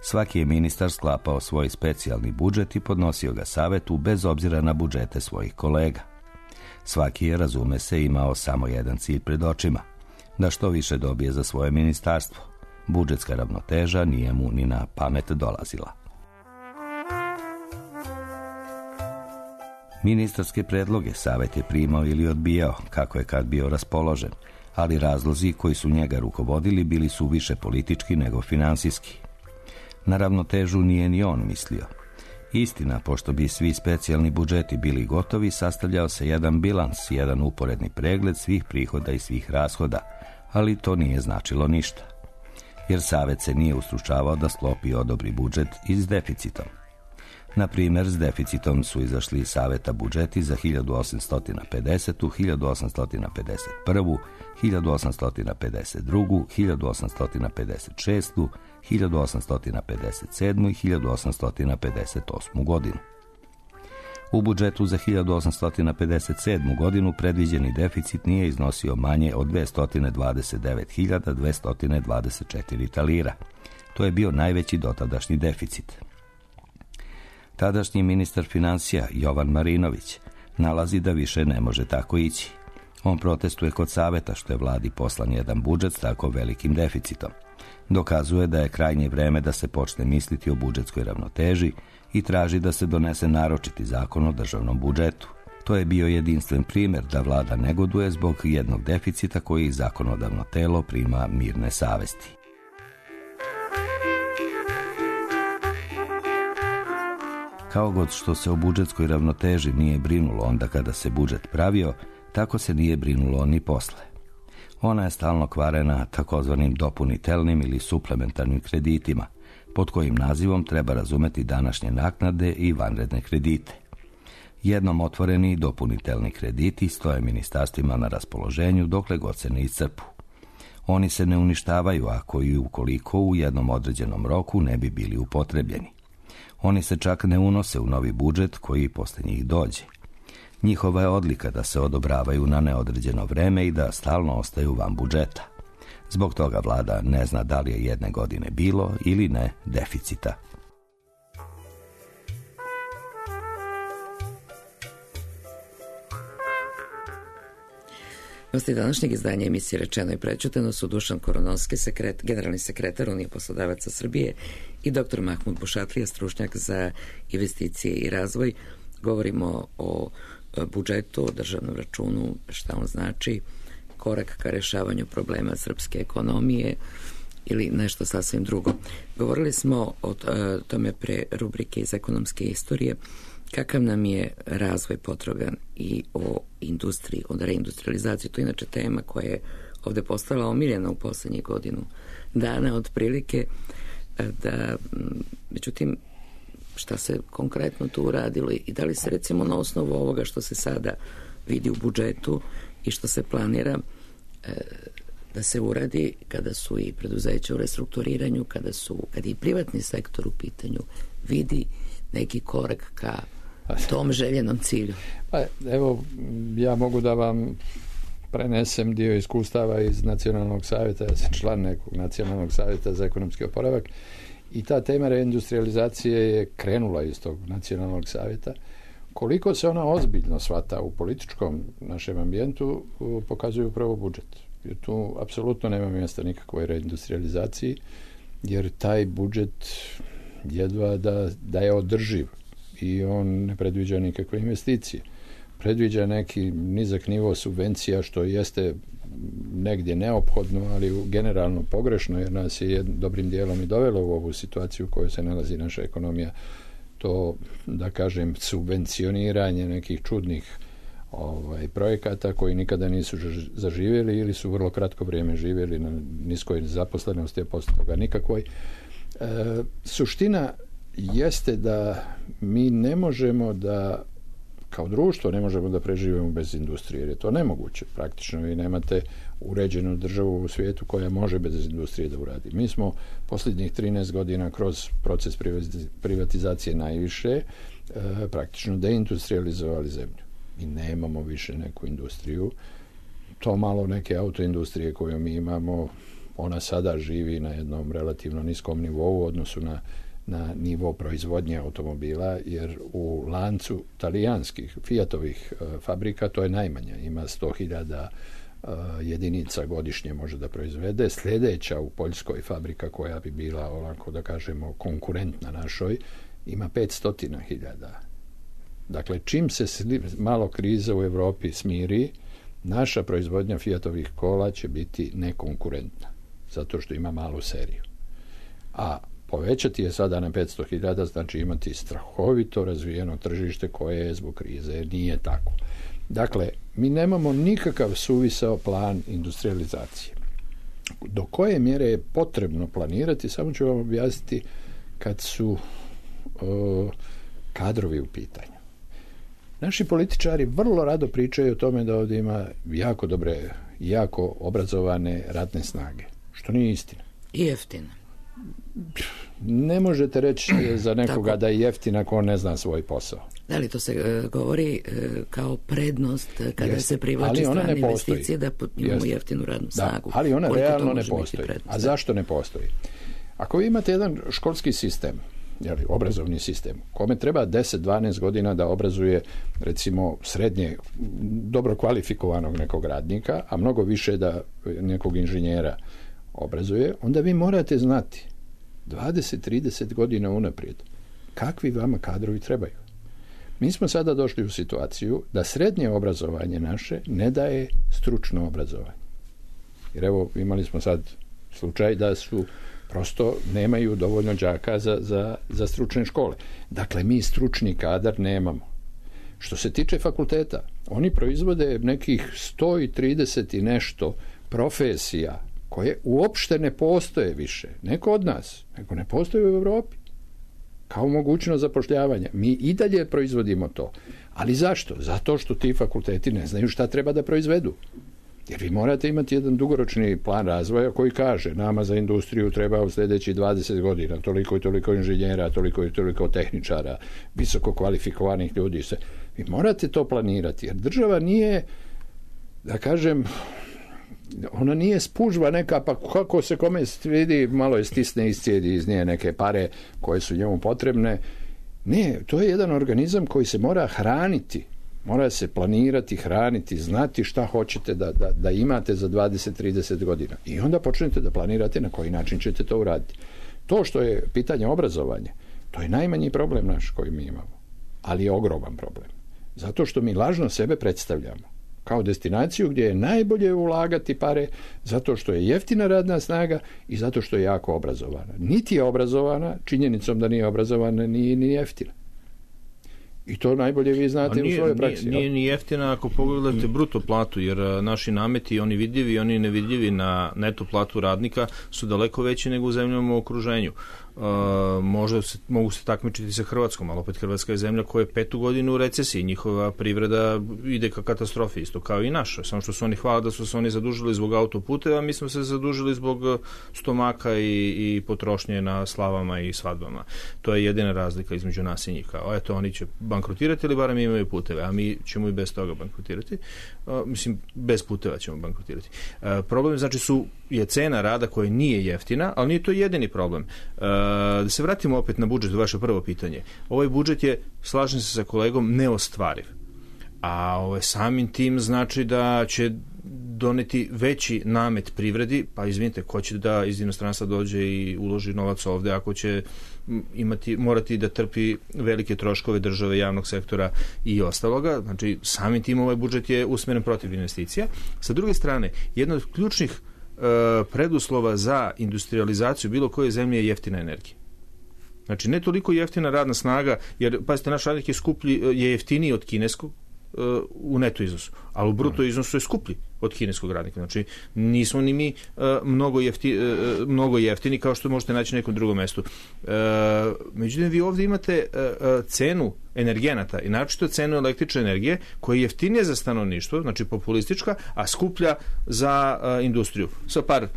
Svaki je ministar sklapao svoj specijalni budžet i podnosio ga Savetu bez obzira na budžete svojih kolega. Svaki je, razume se, imao samo jedan cilj pred očima, da što više dobije za svoje ministarstvo. Budžetska ravnoteža nije mu ni na pamet dolazila. Ministarske predloge Savet je primao ili odbijao, kako je kad bio raspoložen, ali razlozi koji su njega rukovodili bili su više politički nego finansijski. Na ravnotežu nije ni on mislio. Istina, pošto bi svi specijalni budžeti bili gotovi, sastavljao se jedan bilans, jedan uporedni pregled svih prihoda i svih rashoda, ali to nije značilo ništa. Jer Savet se nije ustručavao da sklopi odobri budžet i s deficitom. Na primjer, s deficitom su izašli iz Saveta budžeti za hiljadu osamsto pedesetu, hiljadu osamsto pedeset prvu, hiljadu osamsto pedeset drugu, hiljadu osamsto pedeset šestu, hiljadu osamsto pedeset sedmu i hiljadu osamsto pedeset osmu godinu. U budžetu za hiljadu osamsto pedeset sedmu godinu predviđeni deficit nije iznosio manje od dvesta dvadeset devet hiljada dvesta dvadeset četiri talira. To je bio najveći dotadašnji deficit. Tadašnji ministar finansija Jovan Marinović nalazi da više ne može tako ići. On protestuje kod Saveta što je vladi poslan jedan budžet s tako velikim deficitom. Dokazuje da je krajnje vreme da se počne misliti o budžetskoj ravnoteži i traži da se donese naročiti zakon o državnom budžetu. To je bio jedinstven primjer da vlada negoduje zbog jednog deficita koji zakonodavno telo prima mirne savesti. Kao god što se o budžetskoj ravnoteži nije brinulo onda kada se budžet pravio, tako se nije brinulo ni posle. Ona je stalno kvarena takozvanim dopunitelnim ili suplementarnim kreditima, pod kojim nazivom treba razumeti današnje naknade i vanredne kredite. Jednom otvoreni dopunitelni krediti stoje ministarstvima na raspoloženju dokle god se ne iscrpu. Oni se ne uništavaju ako i ukoliko u jednom određenom roku ne bi bili upotrebljeni. Oni se čak ne unose u novi budžet koji posle njih dođe. Njihova je odlika da se odobravaju na neodređeno vreme i da stalno ostaju van budžeta. Zbog toga vlada ne zna da li je jedne godine bilo ili ne deficita. Gosti današnjeg izdanja emisije Rečeno i prećuteno su Dušan Koronovski, sekret, generalni sekretar Unije poslodavaca Srbije, i doktor Mahmud Bušatlija, stručnjak za investicije i razvoj. Govorimo o budžetu, državnom računu, šta on znači, korak ka rešavanju problema srpske ekonomije ili nešto sasvim drugo. Govorili smo o tome pre rubrike iz ekonomske istorije, kakav nam je razvoj potreban i o industriji, o reindustrializaciji. To je inače tema koja je ovde postala omiljena u poslednjih godinu dana otprilike, da, međutim, šta se konkretno tu uradilo i da li se recimo na osnovu ovoga što se sada vidi u budžetu i što se planira da se uradi kada su i preduzeća u restrukturiranju, kada su, kada i privatni sektor u pitanju, vidi neki korak ka tom željenom cilju? Pa, evo, ja mogu da vam prenesem dio iskustava iz Nacionalnog savjeta, ja sam član nekog Nacionalnog savjeta za ekonomski oporavak i ta tema reindustrializacije je krenula iz tog Nacionalnog savjeta. Koliko se ona ozbiljno shvata u političkom našem ambijentu pokazuje upravo budžet. Jer tu apsolutno nema mjesta nikakvoj reindustrializaciji, jer taj budžet jedva da, da je održiv i on ne predviđa nikakve investicije. Predviđa neki nizak nivo subvencija, što jeste negdje neophodno, ali generalno pogrešno, jer nas je dobrim dijelom i dovelo u ovu situaciju u kojoj se nalazi naša ekonomija. To, da kažem, subvencioniranje nekih čudnih ovaj, projekata koji nikada nisu zaživjeli ili su vrlo kratko vrijeme živjeli na niskoj zaposlenosti, a poslije toga nikakvoj. E, suština jeste da mi ne možemo da, kao društvo, ne možemo da preživimo bez industrije, jer je to nemoguće. Praktično vi nemate uređenu državu u svijetu koja može bez industrije da uradi. Mi smo posljednjih trinaest godina kroz proces privatizacije najviše e, praktično deindustrializovali zemlju. Mi nemamo više neku industriju. To malo neke autoindustrije koju mi imamo, ona sada živi na jednom relativno niskom nivou u odnosu na na nivo proizvodnje automobila, jer u lancu talijanskih Fiatovih uh, fabrika to je najmanja, ima sto hiljada uh, jedinica godišnje može da proizvede. Sljedeća u Poljskoj fabrika koja bi bila, onako da kažemo, konkurentna našoj, ima petsto hiljada. Dakle, čim se malo kriza u Europi smiri, naša proizvodnja Fiatovih kola će biti nekonkurentna, zato što ima malu seriju. A povećati je sada na petsto hiljada, znači imati strahovito razvijeno tržište koje je zbog krize nije tako. Dakle, mi nemamo nikakav suvisao plan industrializacije. Do koje mjere je potrebno planirati, samo ću vam objasniti kad su o, kadrovi u pitanju. Naši političari vrlo rado pričaju o tome da ovdje ima jako dobre, jako obrazovane radne snage, što nije istina. I jeftina. Ne možete reći za nekoga tako da je jeftin ako on ne zna svoj posao. Da li to se uh, govori uh, kao prednost kada Jest, se privlači strane investicije da imamo Jest. jeftinu radnu snagu? Da, ali ona Koliko realno ne postoji. A zašto ne postoji? Ako vi imate jedan školski sistem, jeli, obrazovni sistem, kome treba deset do dvanaest godina da obrazuje recimo srednje dobro kvalifikovanog nekog radnika, a mnogo više da nekog inženjera obrazuje, onda vi morate znati dvadeset do trideset godina unaprijed kakvi vama kadrovi trebaju. Mi smo sada došli u situaciju da srednje obrazovanje naše ne daje stručno obrazovanje. Jer evo, imali smo sad slučaj da su prosto nemaju dovoljno đaka za, za, za stručne škole. Dakle, mi stručni kadar nemamo. Što se tiče fakulteta, oni proizvode nekih sto trideset i nešto profesija koje uopšte ne postoje više. Ne kod nas, nego ne postoje u Europi. Kao mogućnost zapošljavanja. Mi i dalje proizvodimo to. Ali zašto? Zato što ti fakulteti ne znaju šta treba da proizvedu. Jer vi morate imati jedan dugoročni plan razvoja koji kaže nama za industriju treba u sljedećih dvadeset godina toliko i toliko inženjera, toliko i toliko tehničara, visoko kvalifikovanih ljudi. Vi morate to planirati, jer država nije, da kažem, ona nije spužva neka, pa kako se kome vidi, malo je stisne, iscijedi iz nje neke pare koje su njemu potrebne. Ne, to je jedan organizam koji se mora hraniti. Mora se planirati, hraniti, znati šta hoćete da, da, da imate za dvadeset do trideset godina. I onda počnete da planirate na koji način ćete to uraditi. To što je pitanje obrazovanja, to je najmanji problem naš koji mi imamo. Ali je ogroman problem. Zato što mi lažno sebe predstavljamo kao destinaciju gdje je najbolje ulagati pare, zato što je jeftina radna snaga i zato što je jako obrazovana. Niti je obrazovana, činjenicom da nije obrazovana, nije ni jeftina. I to najbolje vi znate nije, u svojoj praksi. Nije, nije ni jeftina ako pogledate bruto platu, jer naši nameti, oni vidljivi i oni nevidljivi na neto platu radnika su daleko veći nego u zemljama u okruženju. Uh, možda se, mogu se takmičiti sa Hrvatskom, ali opet Hrvatska je zemlja koja je petu godinu u recesiji, njihova privreda ide ka katastrofi, isto kao i naša, samo što su oni hvala da su se oni zadužili zbog autoputeva, mi smo se zadužili zbog stomaka i, i potrošnje na slavama i svadbama. To je jedina razlika između nas i njih. Kao, eto, oni će bankrotirati ili barem imaju puteve, a mi ćemo i bez toga bankrotirati. Uh, mislim, bez puteva ćemo bankrotirati. Uh, problem znači su je cena rada koja nije jeftina, ali nije to jedini problem. Uh, da se vratimo opet na budžet, vaše prvo pitanje. Ovaj budžet je, slažem se sa kolegom, neostvariv. A ovaj, samim tim znači da će doneti veći namet privredi, pa izvinite, ko će da iz inostranstva dođe i uloži novac ovde ako će imati, morati da trpi velike troškove države, javnog sektora i ostaloga. Znači, samim tim ovaj budžet je usmeren protiv investicija. Sa druge strane, jedna od ključnih uh, preduslova za industrializaciju bilo koje zemlje je jeftina energija. Znači, ne toliko jeftina radna snaga, jer, pazite, naš radnik je skuplji, je jeftiniji od kineskog uh, u neto iznosu, ali u bruto iznosu je skuplji od kineskog radnika. Znači, nismo ni mi uh, mnogo, jefti, uh, mnogo jeftini kao što možete naći na nekom drugom mestu. Uh, međutim, vi ovdje imate uh, cenu energenata i naročito cenu električne energije koja je jeftinija za stanovništvo, znači populistička, a skuplja za uh, industriju. Sa par uh,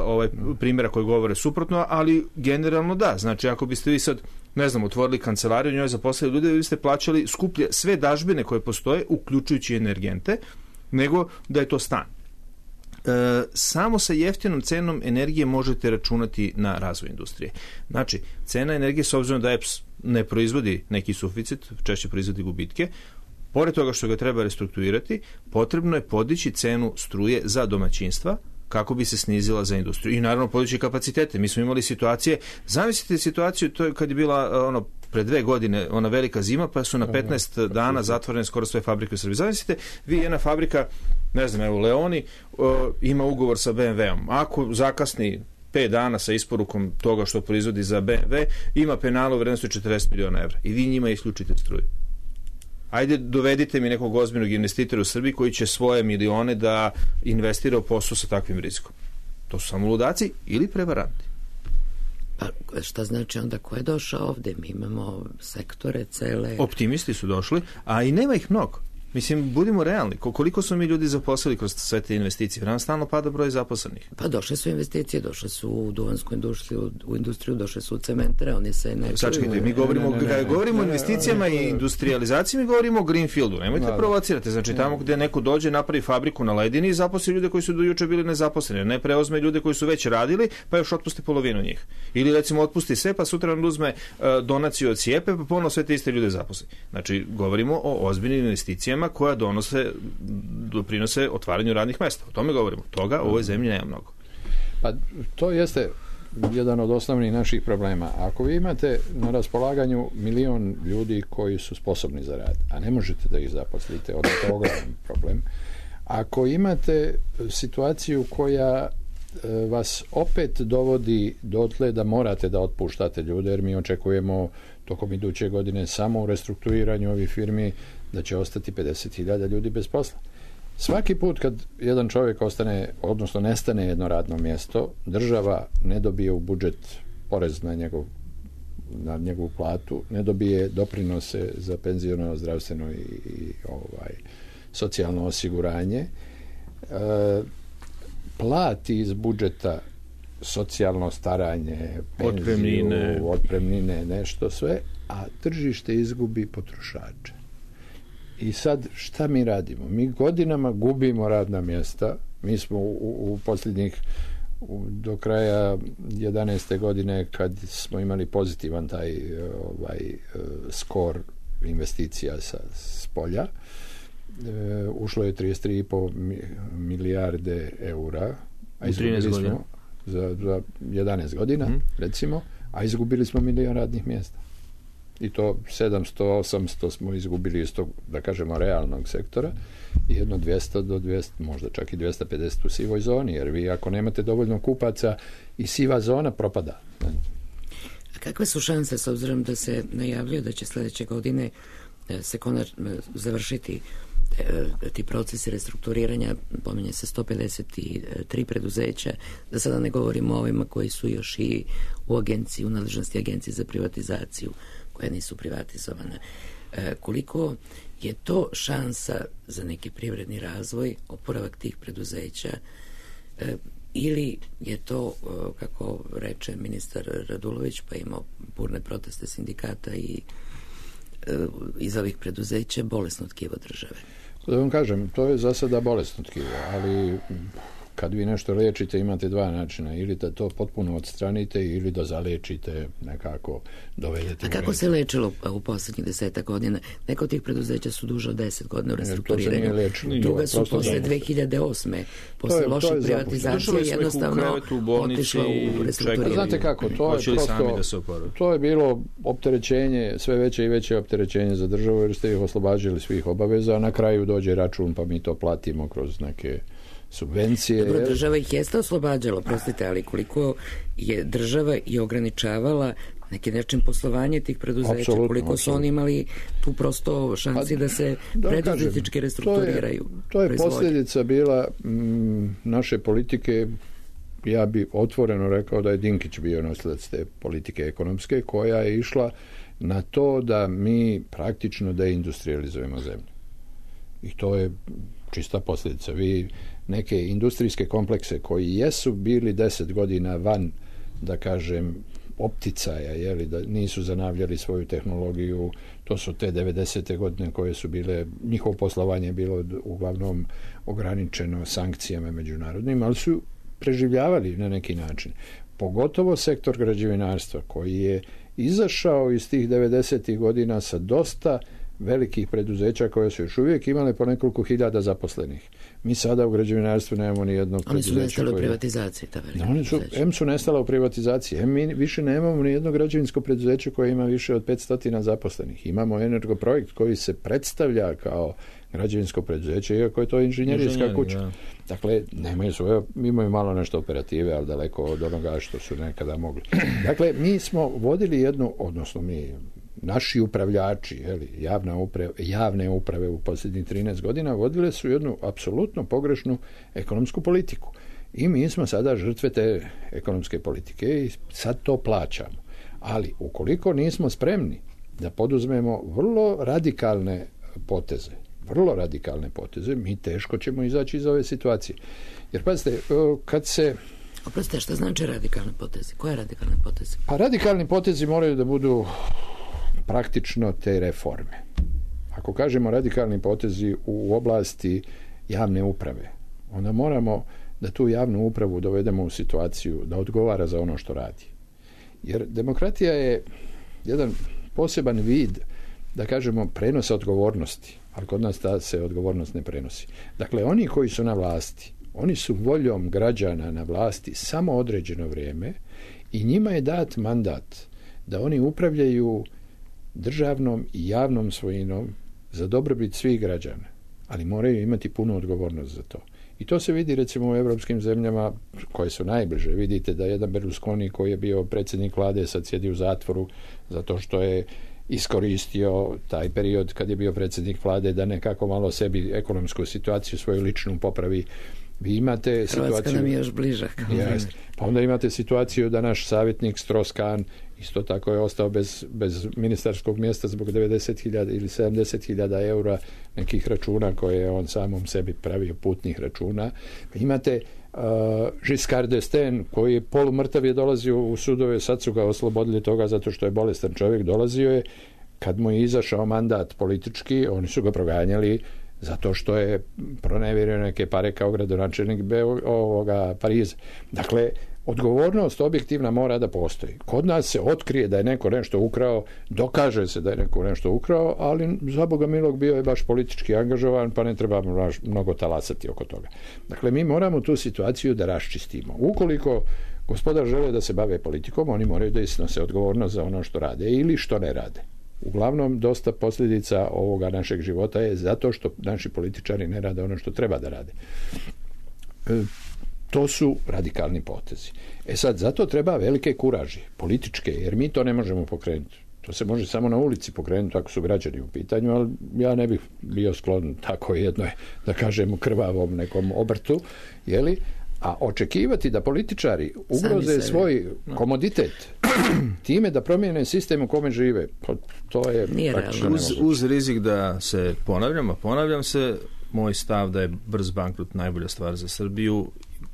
ovaj, primjera koji govore suprotno, ali generalno da. Znači, ako biste vi sad, ne znam, otvorili kancelariju, njoj zaposlili ljude, vi biste plaćali skuplje sve dažbine koje postoje, uključujući energente, nego da je to stan. E, samo sa jeftinom cenom energije možete računati na razvoj industrije. Znači, cena energije, s obzirom da E P S ne proizvodi neki suficit, češće proizvodi gubitke, pored toga što ga treba restrukturirati, potrebno je podići cenu struje za domaćinstva kako bi se snizila za industriju. I naravno podići kapacitete. Mi smo imali situacije, zamislite situaciju, to je kad je bila ono pre dve godine ona velika zima, pa su na petnaest dana zatvorene skoro sve fabrike u Srbiji. Zamislite, vi jedna fabrika, ne znam, evo Leoni, uh, ima ugovor sa be em ve-om. Ako zakasni pet dana sa isporukom toga što proizvodi za be em ve, ima penala u vrednosti četrdeset miliona evra. I vi njima isključite struju. Ajde, dovedite mi nekog ozbiljnog investitora u Srbiji koji će svoje milione da investira u posao sa takvim rizikom. To su samo ludaci ili prevaranti. Pa šta znači onda ko je došao ovde? Mi imamo sektore cele... Optimisti su došli, a i nema ih mnogo. Mislim, budimo realni. Koliko su mi ljudi zaposlili kroz sve te investicije? Vremena stalno pada broj zaposlenih. Pa došle su investicije, došle su u duvansku industriju, u industriju, došle su u cementere, oni se ne... Sačekajte, mi govorimo, ne, ne, ne, govorimo o investicijama ne, ne, ne, i industrializaciji, mi govorimo o greenfieldu. Nemojte da provocirati. Znači, tamo gde neko dođe, napravi fabriku na ledini i zaposli ljude koji su do juče bili nezaposleni. Ne preozme ljude koji su već radili, pa još otpusti polovinu njih. Ili recimo otpusti sve, pa sutra nam uzme uh, donaciju od Cijepe, pa ponovno sve te iste ljude zaposli. Znači, govorimo o ozbiljnim investicijama koja donose, doprinose otvaranju radnih mesta. O tome govorimo. Toga u ovoj zemlji nema mnogo. Pa to jeste jedan od osnovnih naših problema. Ako vi imate na raspolaganju milion ljudi koji su sposobni za rad, a ne možete da ih zaposlite, onda je to ogroman problem. Ako imate situaciju koja vas opet dovodi dotle da morate da otpuštate ljude, jer mi očekujemo tokom iduće godine samo u restrukturiranju ovih firmi da će ostati pedeset hiljada ljudi bez posla. Svaki put kad jedan čovjek ostane, odnosno nestane jedno radno mjesto, država ne dobije u budžet porez na njegov na njegovu platu, ne dobije doprinose za penziono, zdravstveno i, i ovaj, socijalno osiguranje, e, plati iz budžeta socijalno staranje, penziju, otpremnine. otpremnine, nešto sve, a tržište izgubi potrošače. I sad šta mi radimo? Mi godinama gubimo radna mjesta. Mi smo u, u posljednjih u, do kraja jedanaeste godine kad smo imali pozitivan taj ovaj, skor investicija sa s polja, e, ušlo je trideset tri i po milijarde eura, a izgubili smo za, za jedanaest godina, mm. recimo, a izgubili smo milion radnih mjesta. i to sedamsto osamsto smo izgubili iz tog, da kažemo, realnog sektora i jedno dvjesto do dvjesto, možda čak i dvjesto pedeset u sivoj zoni, jer vi ako nemate dovoljno kupaca i siva zona propada. A kakve su šanse, s obzirom da se najavljuje da će sljedeće godine se konačno završiti ti procesi restrukturiranja, pominje se sto pedeset tri preduzeća, da sada ne govorimo o ovima koji su još i u agenciji, u nadležnosti agencije za privatizaciju, koje nisu privatizovane. E, koliko je to šansa za neki privredni razvoj, oporavak tih preduzeća, e, ili je to, kako reče ministar Radulović, pa imao burne proteste sindikata i iz ovih preduzeća, bolesno tkivo države? Da vam kažem, to je za sada bolesno tkivo, ali kad vi nešto liječite imate dva načina, ili da to potpuno odstranite ili da zaliječite, nekako dovedete. A kako se lečilo u posljednjih deseta godina? Neko od tih preduzeća su duže od deset godina u restrukturiranju. Druga su posle dve hiljade osme posle loše privatizacije jednostavno otišla u restrukturiranje. Znate kako, to je prosto, to je bilo opterećenje, sve veće i veće opterećenje za državu, jer ste ih oslobađali svih obaveza, a na kraju dođe račun pa mi to platimo kroz neke subvencije. Dobro, država ih jeste oslobađala, prostite, ali koliko je država i ograničavala neki način poslovanje tih preduzeća, apsolutno, koliko su apsolutno. oni imali tu prosto šansi da se da preduzetnički restrukturiraju. To je, to je posljedica bila m, naše politike. Ja bi otvoreno rekao da je Dinkić bio nosilac te politike ekonomske, koja je išla na to da mi praktično deindustrializujemo zemlju. I to je čista posljedica. Vi neke industrijske komplekse koji jesu bili deset godina van, da kažem, opticaja, jeli, da nisu zanavljali svoju tehnologiju, to su te devedesete godine koje su bile, njihovo poslovanje je bilo uglavnom ograničeno sankcijama međunarodnim, ali su preživljavali na neki način. Pogotovo sektor građevinarstva koji je izašao iz tih devedesetih godina sa dosta velikih preduzeća koje su još uvijek imale po nekoliko hiljada zaposlenih. Mi sada u građevinarstvu nemamo ni jednog preduzeća. Oni su nestali koje... u privatizaciji, ta velika no, oni su, M su nestala u privatizaciji. M mi više nemamo ni jedno građevinsko preduzeće koje ima više od petsto zaposlenih. Imamo Energoprojekt koji se predstavlja kao građevinsko preduzeće, iako je to inženjerijska kuća. Da. Dakle, nemaju svoje, imaju malo nešto operative, ali daleko od onoga što su nekada mogli. Dakle, mi smo vodili jednu, odnosno mi naši upravljači, jeli, javna uprave, javne uprave u posljednjih trinaest godina vodile su jednu apsolutno pogrešnu ekonomsku politiku. I mi smo sada žrtve te ekonomske politike i sad to plaćamo. Ali ukoliko nismo spremni da poduzmemo vrlo radikalne poteze, vrlo radikalne poteze, mi teško ćemo izaći iz ove situacije. Jer pazite, kad se... Oprostite, šta znači radikalne poteze? Koje radikalne poteze? Pa radikalni potezi moraju da budu praktično te reforme. Ako kažemo radikalni potezi u oblasti javne uprave, onda moramo da tu javnu upravu dovedemo u situaciju da odgovara za ono što radi. Jer demokratija je jedan poseban vid, da kažemo, prenosa odgovornosti, ali kod nas ta se odgovornost ne prenosi. Dakle, oni koji su na vlasti, oni su voljom građana na vlasti samo određeno vrijeme i njima je dat mandat da oni upravljaju državnom i javnom svojinom za dobrobit svih građana, ali moraju imati punu odgovornost za to. I to se vidi recimo u evropskim zemljama koje su najbliže. Vidite da jedan Berlusconi koji je bio predsjednik vlade sad sjedi u zatvoru zato što je iskoristio taj period kad je bio predsjednik vlade da nekako malo sebi ekonomsku situaciju svoju ličnu popravi. Vi imate Hrvatska situaciju... Hrvatska nam je još bliža. Yes. Pa onda imate situaciju da naš savjetnik Strauss-Kahn isto tako je ostao bez, bez ministarskog mjesta zbog devedeset hiljada ili sedamdeset hiljada eura nekih računa koje je on samom sebi pravio, putnih računa. Imate uh, Giscard d'Estaing koji je polumrtav je dolazio u sudove, sad su ga oslobodili toga zato što je bolestan čovjek, dolazio je, kad mu je izašao mandat politički, oni su ga proganjali zato što je pronevjerio neke pare kao gradonačelnik ovoga Pariza. Dakle, odgovornost objektivna mora da postoji. Kod nas se otkrije da je neko nešto ukrao, dokaže se da je neko nešto ukrao, ali za Boga milog bio je baš politički angažovan, pa ne trebamo mnogo talasati oko toga. Dakle, mi moramo tu situaciju da raščistimo. Ukoliko gospodar žele da se bave politikom, oni moraju da snose odgovornost za ono što rade ili što ne rade. Uglavnom, dosta posljedica ovoga našeg života je zato što naši političari ne rade ono što treba da rade. E, to su radikalni potezi. E sad, zato treba velike kuraži, političke, jer mi to ne možemo pokrenuti. To se može samo na ulici pokrenuti ako su građani u pitanju, ali ja ne bih bio sklon tako jednoj, da kažem, krvavom nekom obrtu, jeli? A očekivati da političari ugroze svoj komoditet time da promijene sistem u kome žive, to je uz, uz rizik da se ponavljam, a ponavljam se, moj stav da je brz bankrot najbolja stvar za Srbiju,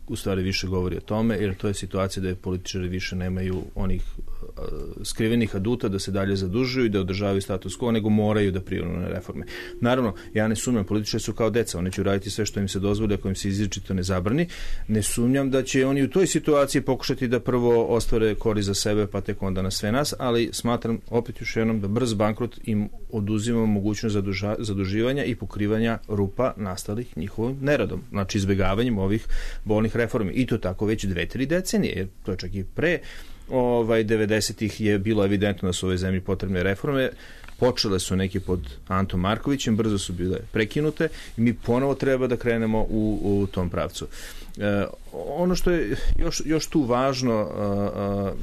u stvari više govori o tome, jer to je situacija da je političari više nemaju onih uh, skrivenih aduta da se dalje zadužuju i da održavaju status quo, nego moraju da prionu na reforme. Naravno, ja ne sumnjam, političari su kao deca, oni će uraditi sve što im se dozvoli, ako im se izričito ne zabrani. Ne sumnjam da će oni u toj situaciji pokušati da prvo ostvare korist za sebe, pa tek onda na sve nas, ali smatram opet još jednom da brz bankrot im oduzima mogućnost zaduža, zaduživanja i pokrivanja rupa nastalih njihovim neradom, znači izbegavanjem ovih bolnih reformi. I to tako već dve, tri decenije, jer to je čak i pre ovaj, devedesetih je bilo evidentno da su ove zemlji potrebne reforme. Počele su neki pod Antom Markovićem, brzo su bile prekinute i mi ponovo treba da krenemo u, u tom pravcu. E, ono što je još, još tu važno,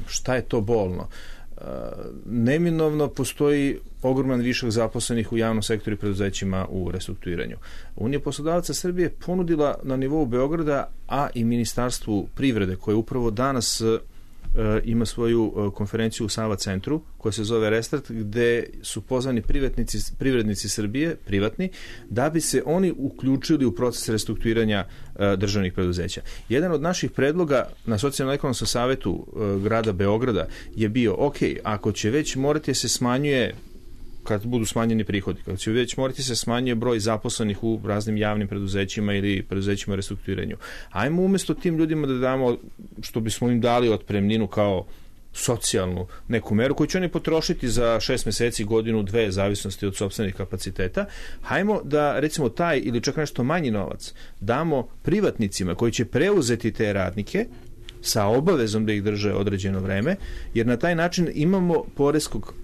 šta je to bolno? Neminovno postoji ogroman višak zaposlenih u javnom sektoru i preduzećima u restrukturiranju. Unija poslodavaca Srbije ponudila na nivou Beograda, a i Ministarstvu privrede, koje upravo danas e, ima svoju konferenciju u Sava centru, koja se zove Restart, gde su pozvani privatnici, privrednici Srbije, privatni, da bi se oni uključili u proces restrukturiranja e, državnih preduzeća. Jedan od naših predloga na socijalno-ekonomskom savetu e, grada Beograda je bio, ok, ako će već morati se smanjuje kad budu smanjeni prihodi, kad će već morati se smanjuje broj zaposlenih u raznim javnim preduzećima ili preduzećima u restrukturiranju. Ajmo umjesto tim ljudima da damo, što bismo im dali otpremninu kao socijalnu neku meru koju će oni potrošiti za šest meseci, godinu, dve, zavisnosti od sopstvenih kapaciteta. Hajmo da recimo taj ili čak nešto manji novac damo privatnicima koji će preuzeti te radnike sa obavezom da ih drže određeno vreme, jer na taj način imamo poreskog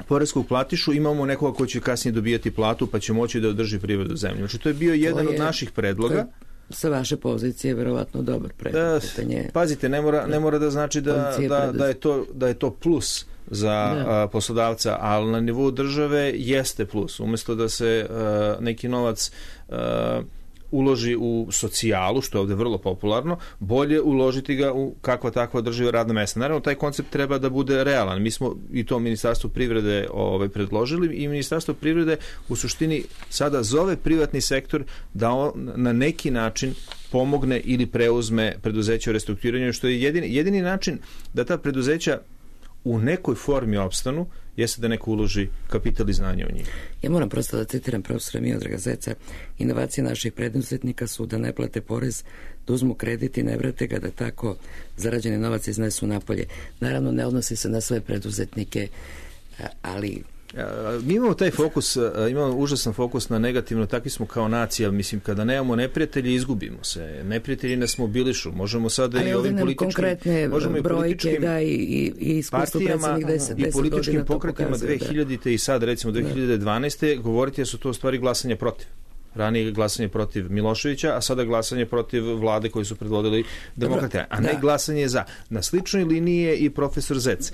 poreskog platišu, imamo nekoga koji će kasnije dobijati platu pa će moći da održi privredu zemlje. Znači to je bio jedan je, od naših predloga. Sa vaše pozicije je verovatno dobar predlog. Da, pazite, ne mora, ne mora da znači da, da, da, je to, da je to plus za a, poslodavca, ali na nivou države jeste plus. Umjesto da se a, neki novac a, uloži u socijalu, što je ovdje vrlo popularno, bolje uložiti ga u kakva takva održiva radna mesta. Naravno, taj koncept treba da bude realan. Mi smo i to Ministarstvo privrede ovaj, predložili i Ministarstvo privrede u suštini sada zove privatni sektor da on na neki način pomogne ili preuzme preduzeće u restrukturiranju, što je jedini, jedini način da ta preduzeća u nekoj formi opstanu, jeste da neko uloži kapital i znanje u njih. Ja moram prosto da citiram profesora Miodraga Zeca. Inovacije naših preduzetnika su da ne plate porez, da uzmu kredit i ne vrate ga, da tako zarađeni novac iznesu napolje. Naravno, ne odnosi se na sve preduzetnike, ali... Mi imamo taj fokus, imamo užasan fokus na negativno, takvi smo kao nacija, mislim, kada nemamo neprijatelji, izgubimo se. Neprijatelji nas mobilišu, možemo sada i ovim političkim... konkretne brojke, da, i, i iskustvo predsednik deset, i političkim pokretima dve hiljadite i sad, recimo, dve hiljade dvanaeste govoriti da su to u stvari glasanje protiv. Ranije glasanje protiv Miloševića, a sada glasanje protiv vlade koji su predvodili demokrate, a ne da. Glasanje za. Na sličnoj liniji je i profesor Zec.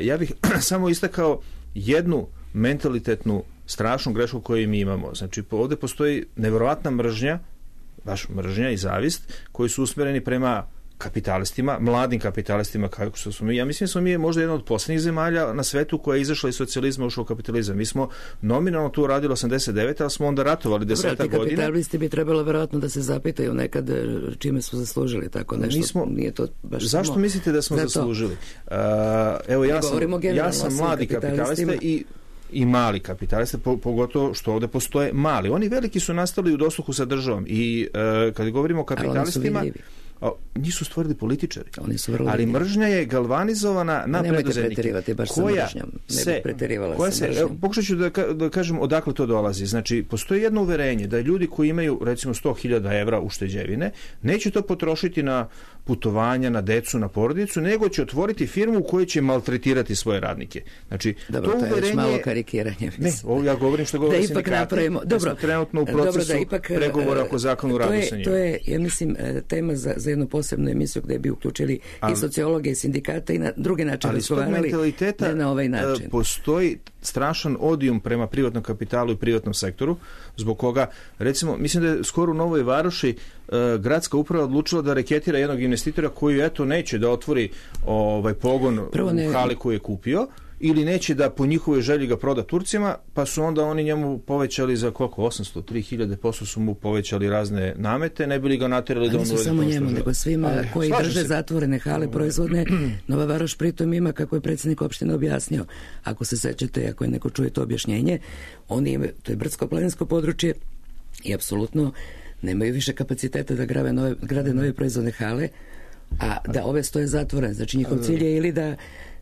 Ja bih samo istakao jednu mentalitetnu strašnu grešku koju mi imamo. Znači, ovdje postoji neverovatna mržnja, baš mržnja i zavist, koji su usmjereni prema kapitalistima, mladim kapitalistima, kako što smo mi. Ja mislim da smo mi možda jedna od posljednjih zemalja na svetu koja je izašla iz socijalizma, ušla u kapitalizam. Mi smo nominalno tu uradili osamdeset devete, ali smo onda ratovali desetak godina. Kapitalisti bi trebalo verovatno da se zapitaju nekad čime su zaslužili tako nešto. Nismo, nije to baš zašto samo... mislite da smo Zato. zaslužili? Uh, evo, ja sam, ja sam mladi kapitalista i i mali kapitaliste, po, pogotovo što ovdje postoje mali. Oni veliki su nastali u dosluhu sa državom i uh, kad govorimo o kapitalistima, o, nisu stvorili političari. Oni su vrlo ali mržnja je galvanizovana na preduzetnike. Baš koja sa mržnjom. Ne se, koja se, evo, pokušat ću da, da kažem odakle to dolazi. Znači, postoji jedno uverenje da ljudi koji imaju recimo sto hiljada evra ušteđevine, neće to potrošiti na putovanja, na decu, na porodicu, nego će otvoriti firmu u kojoj će maltretirati svoje radnike. Znači, dobro, to, to je uverenje... već malo karikiranje. Ne, ovo ja govorim što govori da sindikati. Napravimo, dobro, da smo trenutno u procesu dobro, da ipak, pregovora oko zakonu radu sa njima. To je, ja mislim, tema za, za jednu posebnu emisiju gde bi uključili ali, i sociologe i sindikata i na druge načine razgovarali, ne na ovaj način. Postoji strašan odijum prema privatnom kapitalu i privatnom sektoru, zbog koga, recimo, mislim da je skoro u Novoj Varoši e, gradska uprava odlučila da reketira jednog investitora koji, eto, neće da otvori ovaj pogon ne... u hali koju je kupio, ili neće da po njihovoj želji ga proda Turcima, pa su onda oni njemu povećali za koliko, osamsto, tri hiljade, posle su mu povećali razne namete, ne bili ga naterali da on... A nisu samo njemu, nego svima ali, koji drže se. Zatvorene hale proizvodne. Nova Varoš pritom ima, kako je predsjednik opštine objasnio, ako se sećate, ako je neko čuje to objašnjenje, oni imaju, to je brdsko-planinsko područje i apsolutno nemaju više kapaciteta da grave nove, grade nove proizvodne hale, a da ove stoje zatvorene. Znači njihov cilj je ili da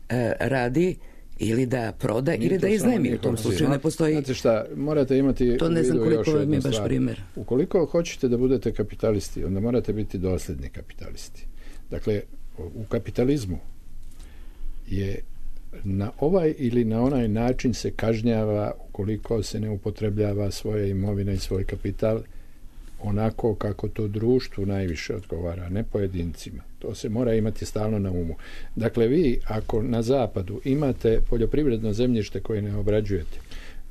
e, radi ili da proda nije ili da iznajmi. U tom slučaju ne postoji... Znate šta, morate imati... To ne znam koliko vam je baš primjer. Ukoliko hoćete da budete kapitalisti, onda morate biti dosledni kapitalisti. Dakle, u kapitalizmu je na ovaj ili na onaj način se kažnjava ukoliko se ne upotrebljava svoja imovina i svoj kapital onako kako to društvu najviše odgovara, ne pojedincima. To se mora imati stalno na umu. Dakle, vi ako na zapadu imate poljoprivredno zemljište koje ne obrađujete,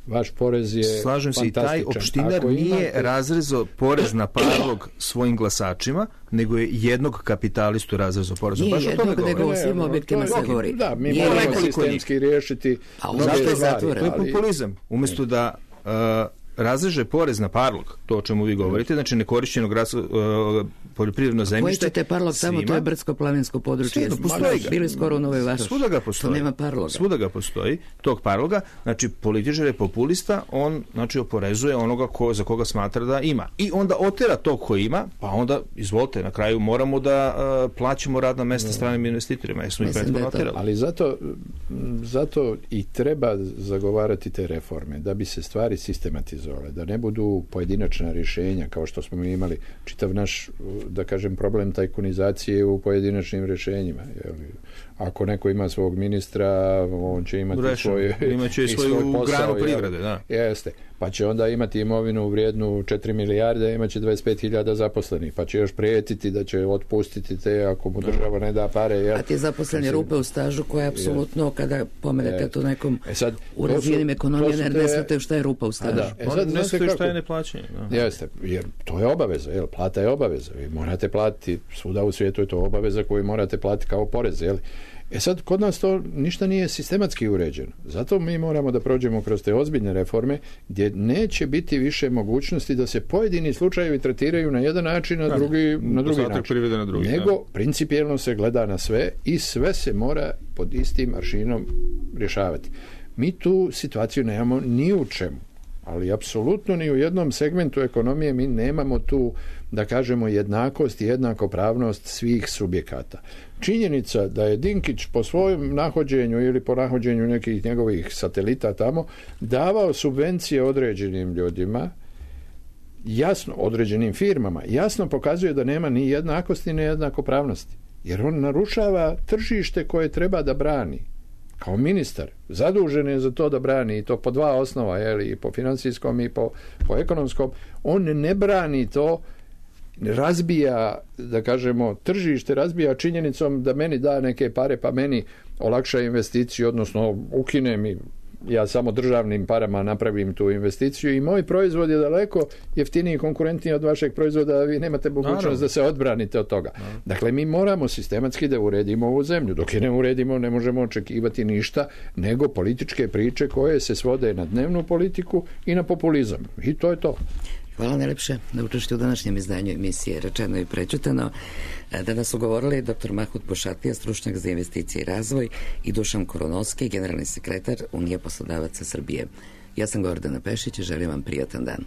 vaš porez je slažem se, i taj opštinar ako nije imate... razrezao porez na parlog svojim glasačima, nego je jednog kapitalistu razrezao porez. Nije baš jednog, nego u svim objektima se govori. Da, mi nije moramo sistemski riješiti. A zašto je zatvoren? To je populizam. Umjesto da uh, razreže porez na parlog, to o čemu vi govorite, znači nekorišćeno gradsko, uh, poljoprivredno zemljište. Koji ćete parlog svima, samo, to je brdsko-planinsko područje. Postoji ga. Bili skoro u Novoj Varoši. Svuda ga postoji. To nema parloga. Svuda ga postoji, tog parloga. Znači, političar je populista, on znači oporezuje onoga ko, za koga smatra da ima. I onda otera tog ko ima, pa onda, izvolite, na kraju moramo da uh, plaćamo radna mesta no. stranim investitorima, jer smo ih prethodno oterali. Ali zato, zato i treba zagovarati te reforme, da bi se stvari sistematizovale, da ne budu pojedinačna rješenja, kao što smo mi imali čitav naš, da kažem, problem tajkunizacije u pojedinačnim rješenjima. Ako neko ima svog ministra, on će imati Rešen, svoj, imaće i svoju svoj posao, granu privrede. Da. Jeste. Pa će onda imati imovinu vrijednu četiri milijarde, imaće dvadeset pet hiljada zaposlenih, pa će još prijetiti da će otpustiti te ako mu država ne da pare. Jer... A ti zaposleni rupe u stažu koje apsolutno kada pomenete to nekom e sad, u razvijenim ekonomijama ne, te... ne znate šta je rupa u stažu. Da. E sad, ne znate šta je neplaćanje. Da. Jeste, jer to je obaveza, jel? Plata je obaveza. Vi morate platiti, svuda u svijetu je to obaveza koju morate platiti kao porez, jel? E sad, kod nas to ništa nije sistematski uređeno. Zato mi moramo da prođemo kroz te ozbiljne reforme gdje neće biti više mogućnosti da se pojedini slučajevi tretiraju na jedan način, na drugi, na drugi način. Na drugi, Nego, da. principijelno se gleda na sve i sve se mora pod istim aršinom rješavati. Mi tu situaciju nemamo ni u čemu. Ali apsolutno ni u jednom segmentu ekonomije mi nemamo tu, da kažemo, jednakost i jednakopravnost svih subjekata. Činjenica da je Dinkić po svojem nahođenju ili po nahođenju nekih njegovih satelita tamo davao subvencije određenim ljudima, jasno, određenim firmama, jasno pokazuje da nema ni jednakosti ni jednakopravnosti. Jer on narušava tržište koje treba da brani. Kao ministar, zadužen je za to da brani i to po dva osnova, jeli, i po financijskom i po, po ekonomskom. On ne brani to, razbija, da kažemo, tržište, razbija činjenicom da meni da neke pare pa meni olakša investiciju, odnosno ukine mi, ja samo državnim parama napravim tu investiciju i moj proizvod je daleko jeftiniji i konkurentniji od vašeg proizvoda, a vi nemate mogućnost Naravno. da se odbranite od toga. Naravno. Dakle, mi moramo sistematski da uredimo ovu zemlju. Dok je ne uredimo, ne možemo očekivati ništa nego političke priče koje se svode na dnevnu politiku i na populizam. I to je to. Hvala najlepše na učešću u današnjem izdanju emisije Rečeno i prećutano. Danas su govorili dr Mahmud Bušatija, stručnjak za investicije i razvoj, i Dušan Koronovski, generalni sekretar Unije poslodavaca Srbije. Ja sam Gordana Pešić i želim vam prijatan dan.